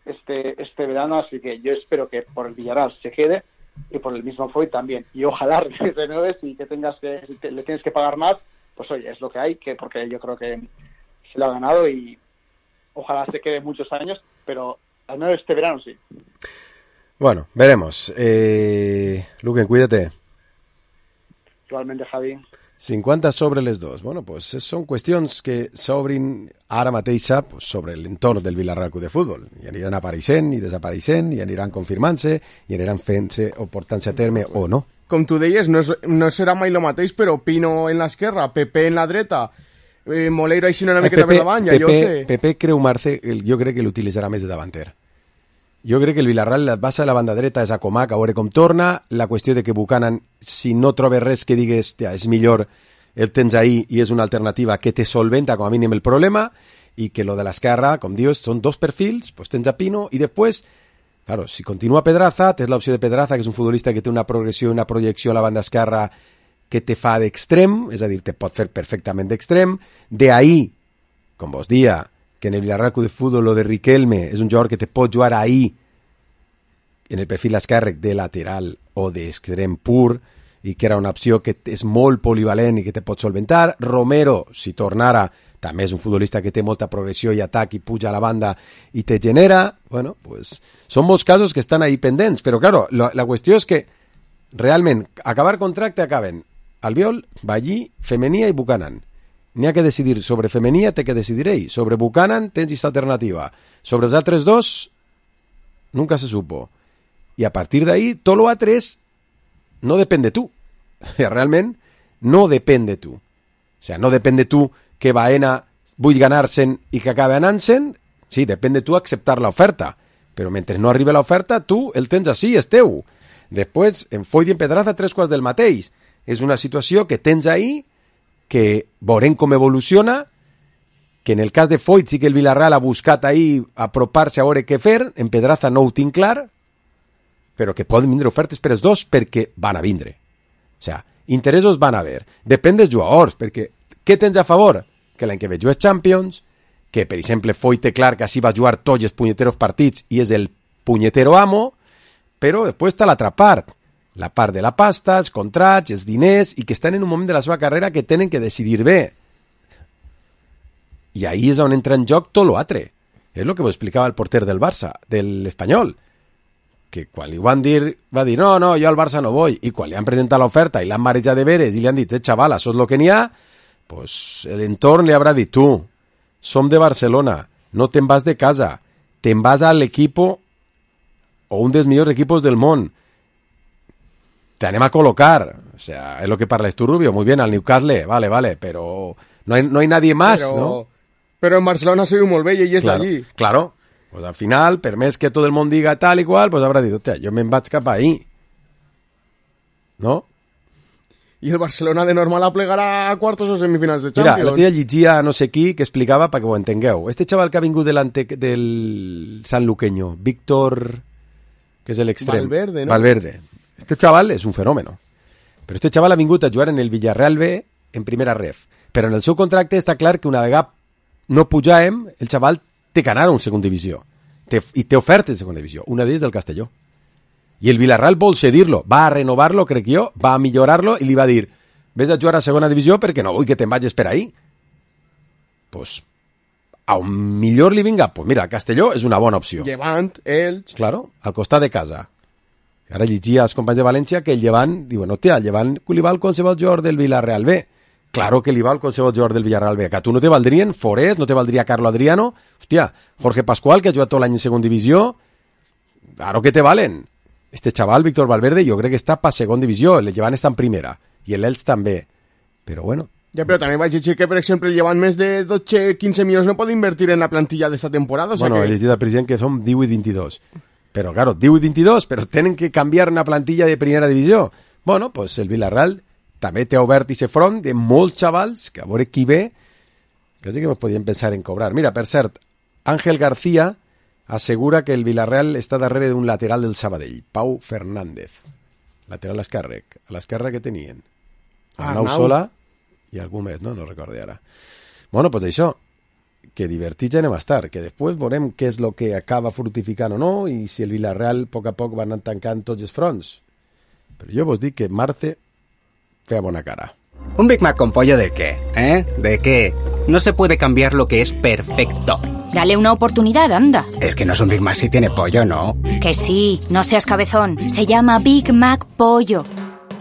este este verano, así que yo espero que por el Villarreal se quede, y por el mismo Foyt también, y ojalá renueves, y que tengas que si te, le tienes que pagar más, pues oye, es lo que hay, que porque yo creo que se lo ha ganado, y ojalá se quede muchos años, pero al menos este verano sí. Bueno, veremos. Eh, Luquen, cuídate. Igualmente, Javi. cinquanta sobre les dos. Bueno, pues són qüestions que s'obrin ara mateix pues, sobre l'entorn del Villarreal Club de Futbol. I aniran apareixent i desapareixent, i aniran confirmant-se, i aniran fent-se o portant-se a terme o no. Com tu deies, no, és, no serà mai el mateix, però Pino en l'esquerra, Pepe en la dreta, eh, Moleiro així una miqueta per davant, ja Pepe, Pepe Creu Marce, jo crec que l'utilitzarà més de davanter. Jo crec que el Villarreal la base de la banda dreta és a Comac, a veure com torna. La qüestió de que Buchanan, si no trobes res que digues ja, és millor, el tens ahí i és una alternativa que te solventa com a mínim el problema, i que lo de l'esquerra, com dius, són dos perfils, pues tens a Pino, i després, claro, si continua Pedraza, tens l'opció de Pedraza, que és un futbolista que té una progressió i una projecció a la banda esquerra que te fa d'extrem, és a dir, te pot fer perfectament d'extrem, de ahí, com vos dia, que en el Villarreal Club de Fútbol lo de Riquelme és un jugador que te pot jugar ahí en el perfil esquerre de lateral o d'extrem pur i que era una opció que és molt polivalent i que te pot solventar. Romero, si tornara, també és un futbolista que té molta progressió i atac i puja a la banda i te genera. Bueno, pues són molts casos que estan ahí pendents, però claro, la, la qüestió és que realment acabar contracte acaben Albiol, Ballí, Femenia i Buchanan. N'hi ha que decidir sobre Femenia, té que decidir ell. Sobre Buchanan tens aquesta alternativa. Sobre els altres dos, nunca se supo. I a partir d'ahí, tot lo altres no depèn de tu. Realment, no depèn de tu. O sea, no depèn de tu que Baena vull ganar-se'n i que acabi anant-se'n. Sí, depèn de tu acceptar l'oferta. Però mentre no arribi l'oferta, tu el tens així, és teu. Després, en Foyt i en Pedraza, tres quarts del mateix. És una situació que tens ahí, que veurem com evoluciona, que en el cas de Foyt sí que el Villarreal ha buscat ahí apropar-se a veure què fer, en Pedraza no ho tinc clar, però que poden vindre ofertes per els dos perquè van a vindre. O sea, interessos van a haver. Depèn dels jugadors, perquè què tens a favor? Que l'any que ve jugues Champions, que per exemple Foyt té clar que així va jugar tots els punyeteros partits i és el punyetero amo, però després està l'altra part, la part de la pasta, els contrats, els diners, i que estan en un moment de la seva carrera que tenen que decidir bé. I ahí és on entra en joc tot l'altre. És el que ho explicava el porter del Barça, de l'Espanyol, que quan li van dir, va dir, no, no, jo al Barça no vull, i quan li han presentat l'oferta i l'han marejat de veres i li han dit, eh, xaval, això és el que n'hi ha, pues l'entorn li haurà dit, tu, som de Barcelona, no te'n vas de casa, te'n vas a l'equipo o un dels millors equipos del món, te anem a colocar, o sea, es lo que parles tú, Rubio, muy bien, al Newcastle, vale, vale, pero no hay, no hay nadie más, pero, ¿no? Pero en Barcelona se viu molt bé i ell és claro, d'allí. Claro, pues al final, per més que tot el món diga tal i qual, pues habrá dit, hòstia, jo me'n vaig cap ahí, ¿no? I el Barcelona de normal aplegarà a quartos o semifinals de Mira, Champions. l'altre dia llegia no sé qui que explicava, perquè ho entengueu, este chaval que ha vingut delante del sanluqueño, Víctor, que és l'extrem. Valverde, ¿no? Valverde. Este chaval és un fenómeno. Però este chaval ha vingut a jugar en el Villarreal B en primera ref. Però en el seu contracte està clar que una vegada no pujàvem, el chaval té que anar a un segon divisió. Té, I té ofertes de segona divisió. Una d'ells del Castelló. I el Villarreal vol cedir-lo. Va a renovar-lo, crec jo, va a millorar-lo i li va dir, ves a jugar a segona divisió perquè no vull que te'n vagis per ahí. Pues, a un millor li vinga, pues mira, Castelló és una bona opció. Llevant, Elx... Claro, al costat de casa. Ara llegia als companys de València que el Llevant, diuen, hòstia, el Llevant li val qualsevol jugador del Villarreal B. Claro que li val qualsevol jugador del Villarreal B. Que a tu no te valdrien Forés, no te valdria Carlo Adriano, hòstia, Jorge Pascual, que ha jugat tot l'any en segon divisió, claro que te valen. Este chaval, Víctor Valverde, jo crec que està pa segon divisió, el Llevant està en primera, i l'Elx també. Però bueno... Ja, però també vaig dir que, per exemple, el Llevant més de dotze a quinze milions no pot invertir en la plantilla d'esta temporada. O sea bueno, que... he llegit al president que són divuit vint-i-dos. Però, claro, divuit vint-i-dos, però tenen que canviar una plantilla de primera divisió. Bueno, pues el Villarreal també té obert i se front de molts xavals, que a veure qui ve, quasi que ens podien pensar en cobrar. Mira, per cert, Ángel García assegura que el Villarreal està darrere d'un lateral del Sabadell, Pau Fernández. Lateral esquerre, a l'esquerra que tenien. Arnau Sola i algú més, no? No recordo ara. Bueno, pues això, que divertits ja anem a estar, que després veurem què és el que acaba fructificant o no, i si el Villarreal a poc a poc va anar tancant tots els fronts. Però jo vos dic que Marce feia bona cara. ¿Un Big Mac con pollo de qué? ¿Eh? ¿De qué? No se puede cambiar lo que es perfecto. Dale una oportunidad, anda. Es que no es un Big Mac si tiene pollo, ¿no? Que sí, no seas cabezón. Se llama Big Mac Pollo.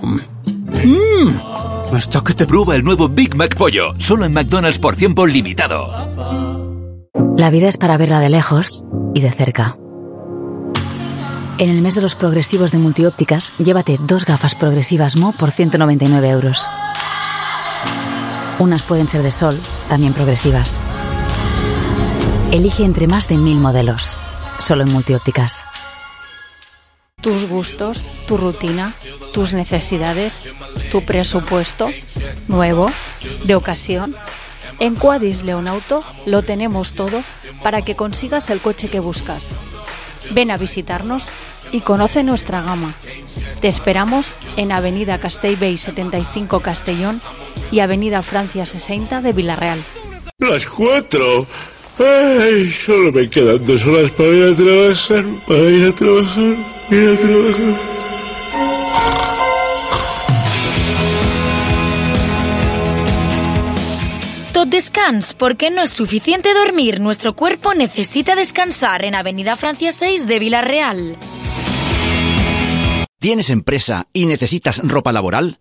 Mmm, hasta que te... Prueba el nuevo Big Mac Pollo, solo en McDonald's por tiempo limitado. La vida es para verla de lejos y de cerca. En el mes de los progresivos de Multiópticas, llévate dos gafas progresivas Mo por ciento noventa y nueve euros. Unas pueden ser de sol, también progresivas. Elige entre más de mil modelos, solo en Multiópticas. Tus gustos, tu rutina, tus necesidades, tu presupuesto, nuevo, de ocasión. En Quadis Leonauto lo tenemos todo para que consigas el coche que buscas. Ven a visitarnos y conoce nuestra gama. Te esperamos en Avenida Castellbell setenta y cinco Castellón y Avenida Francia sesenta de Villarreal. Las cuatro. Ay, solo me quedan dos horas para ir a trabajar, para ir a trabajar, ir a trabajar. Tot descans, porque no es suficiente dormir. Nuestro cuerpo necesita descansar en Avenida Francia seis de Villarreal. ¿Tienes empresa y necesitas ropa laboral?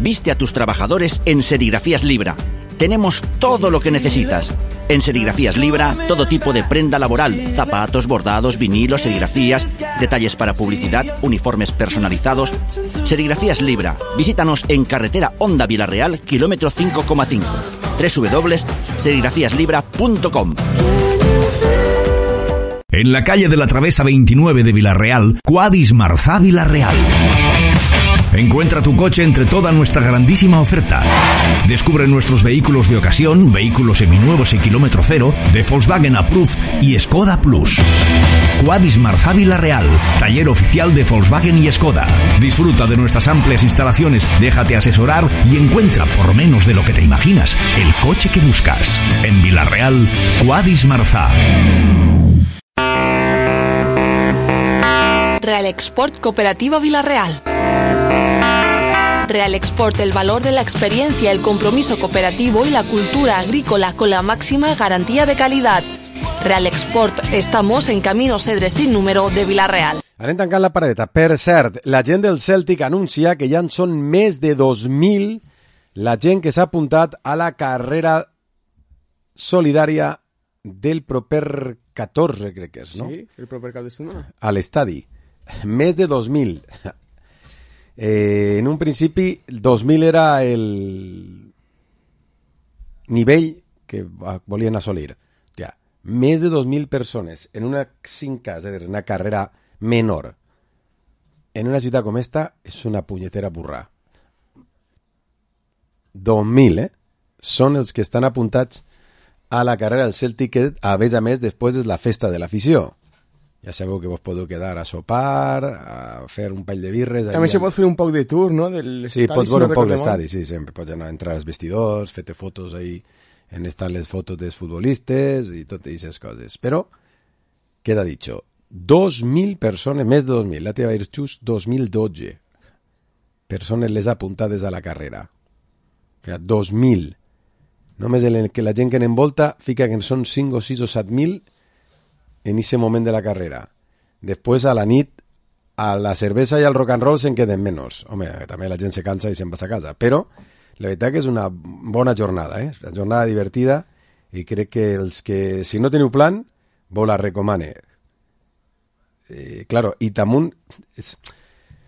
Viste a tus trabajadores en Serigrafías Libra. Tenemos todo lo que necesitas. En Serigrafías Libra, todo tipo de prenda laboral, zapatos, bordados, vinilos, serigrafías, detalles para publicidad, uniformes personalizados. Serigrafías Libra. Visítanos en carretera Honda Villarreal, kilómetro cinco coma cinco. doble u doble u doble u punto serigrafías libra punto com. En la calle de la Travesa veintinueve de Villarreal, Quadis Marzá Villarreal. Encuentra tu coche entre toda nuestra grandísima oferta. Descubre nuestros vehículos de ocasión, vehículos seminuevos y kilómetro cero, de Volkswagen Approved y Skoda Plus. Quadis Marzá Villarreal, taller oficial de Volkswagen y Skoda. Disfruta de nuestras amplias instalaciones, déjate asesorar y encuentra, por menos de lo que te imaginas, el coche que buscas. En Villarreal, Quadis Marzá. Real Export Cooperativa Villarreal. Real Export, el valor de la experiencia, el compromiso cooperativo y la cultura agrícola con la máxima garantía de calidad. Real Export, estamos en Camino Cedre sin número de Villarreal. Anem tancant la paradeta. Per cert, la gent del Celtic anuncia que ja en són més de dos mil la gent que s'ha apuntat a la carrera solidària del proper catorze, crec que és, no? Sí, el proper cap de setmana. A l'estadi. Més de dos mil. Eh, en un principi, dos mil era el nivell que volien assolir. Ja, més de dos mil persones en una cinca, és a dir, una carrera menor en una ciutat com esta és una punyetera burra. dos mil, eh? Són els que estan apuntats a la carrera del Celtic, que a més a més després és la festa de l'afició. Ja sabeu que vos podeu quedar a sopar, a fer un pall de birres... També se pot fer un poc de tour, no? Sí, pots veure un poc l'estadi, sí, sempre. Pots anar a entrar als vestidors, fer-te fotos ahí, en estan les fotos dels futbolistes i totes aquestes coses. Però, queda dicho, dos mil persones, més de dos mil, la teva va dir just dos mil dotze persones les apuntades a la carrera. O sigui, dos mil. Només el que la gent que n'envolta fica que són cinc o sis o set mil en ese moment de la carrera. Després, a la nit, a la cervesa i al rock and roll se'n queden menys. Home, també la gent se cansa i se'n va a casa. Però la veritat que és una bona jornada, eh? Una jornada divertida i crec que els que, si no teniu plan, vos la recomane. Eh, claro, i damunt, és,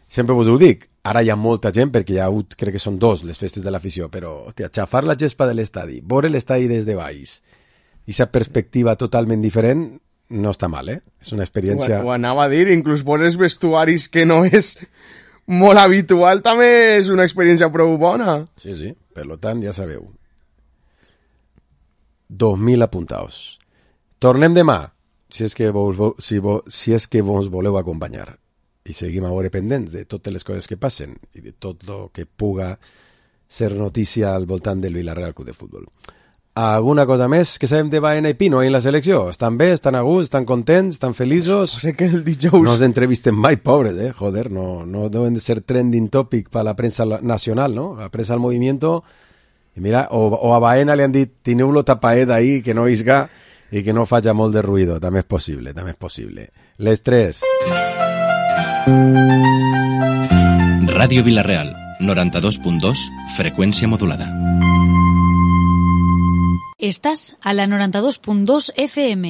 sempre vos ho dic, ara hi ha molta gent, perquè hi ha hagut, crec que són dos les festes de l'afició, però, hòstia, xafar la gespa de l'estadi, veure l'estadi des de baix, i aquesta perspectiva totalment diferent, no està mal, eh? És una experiència... Ho, ho anava a dir, inclús poses vestuaris que no és molt habitual, també és una experiència prou bona. Sí, sí, per tant, ja sabeu. dos mil apuntaos. Tornem demà, si és que vos, si vos, si és que vos voleu acompanyar. I seguim a veure pendents de totes les coses que passen i de tot el que puga ser notícia al voltant del Villarreal Club de Futbol. Alguna cosa més que sabem de Baena i Pino en la selecció? Estan bé, estan a gust, estan contents, estan feliços? O sé que el dijous... No els entrevisten mai, pobres, eh? Joder, no, no deben de ser trending topic para la prensa nacional, ¿no? La prensa del movimiento. I mira, o, o a Baena li han dit, tineu-lo tapaet ahí, que no isga i que no faci molt de ruïdo. També és possible, també és possible. Les tres. Ràdio Villarreal, noranta-dos punt dos, freqüència modulada. Estás a la noranta-dos punt dos F M.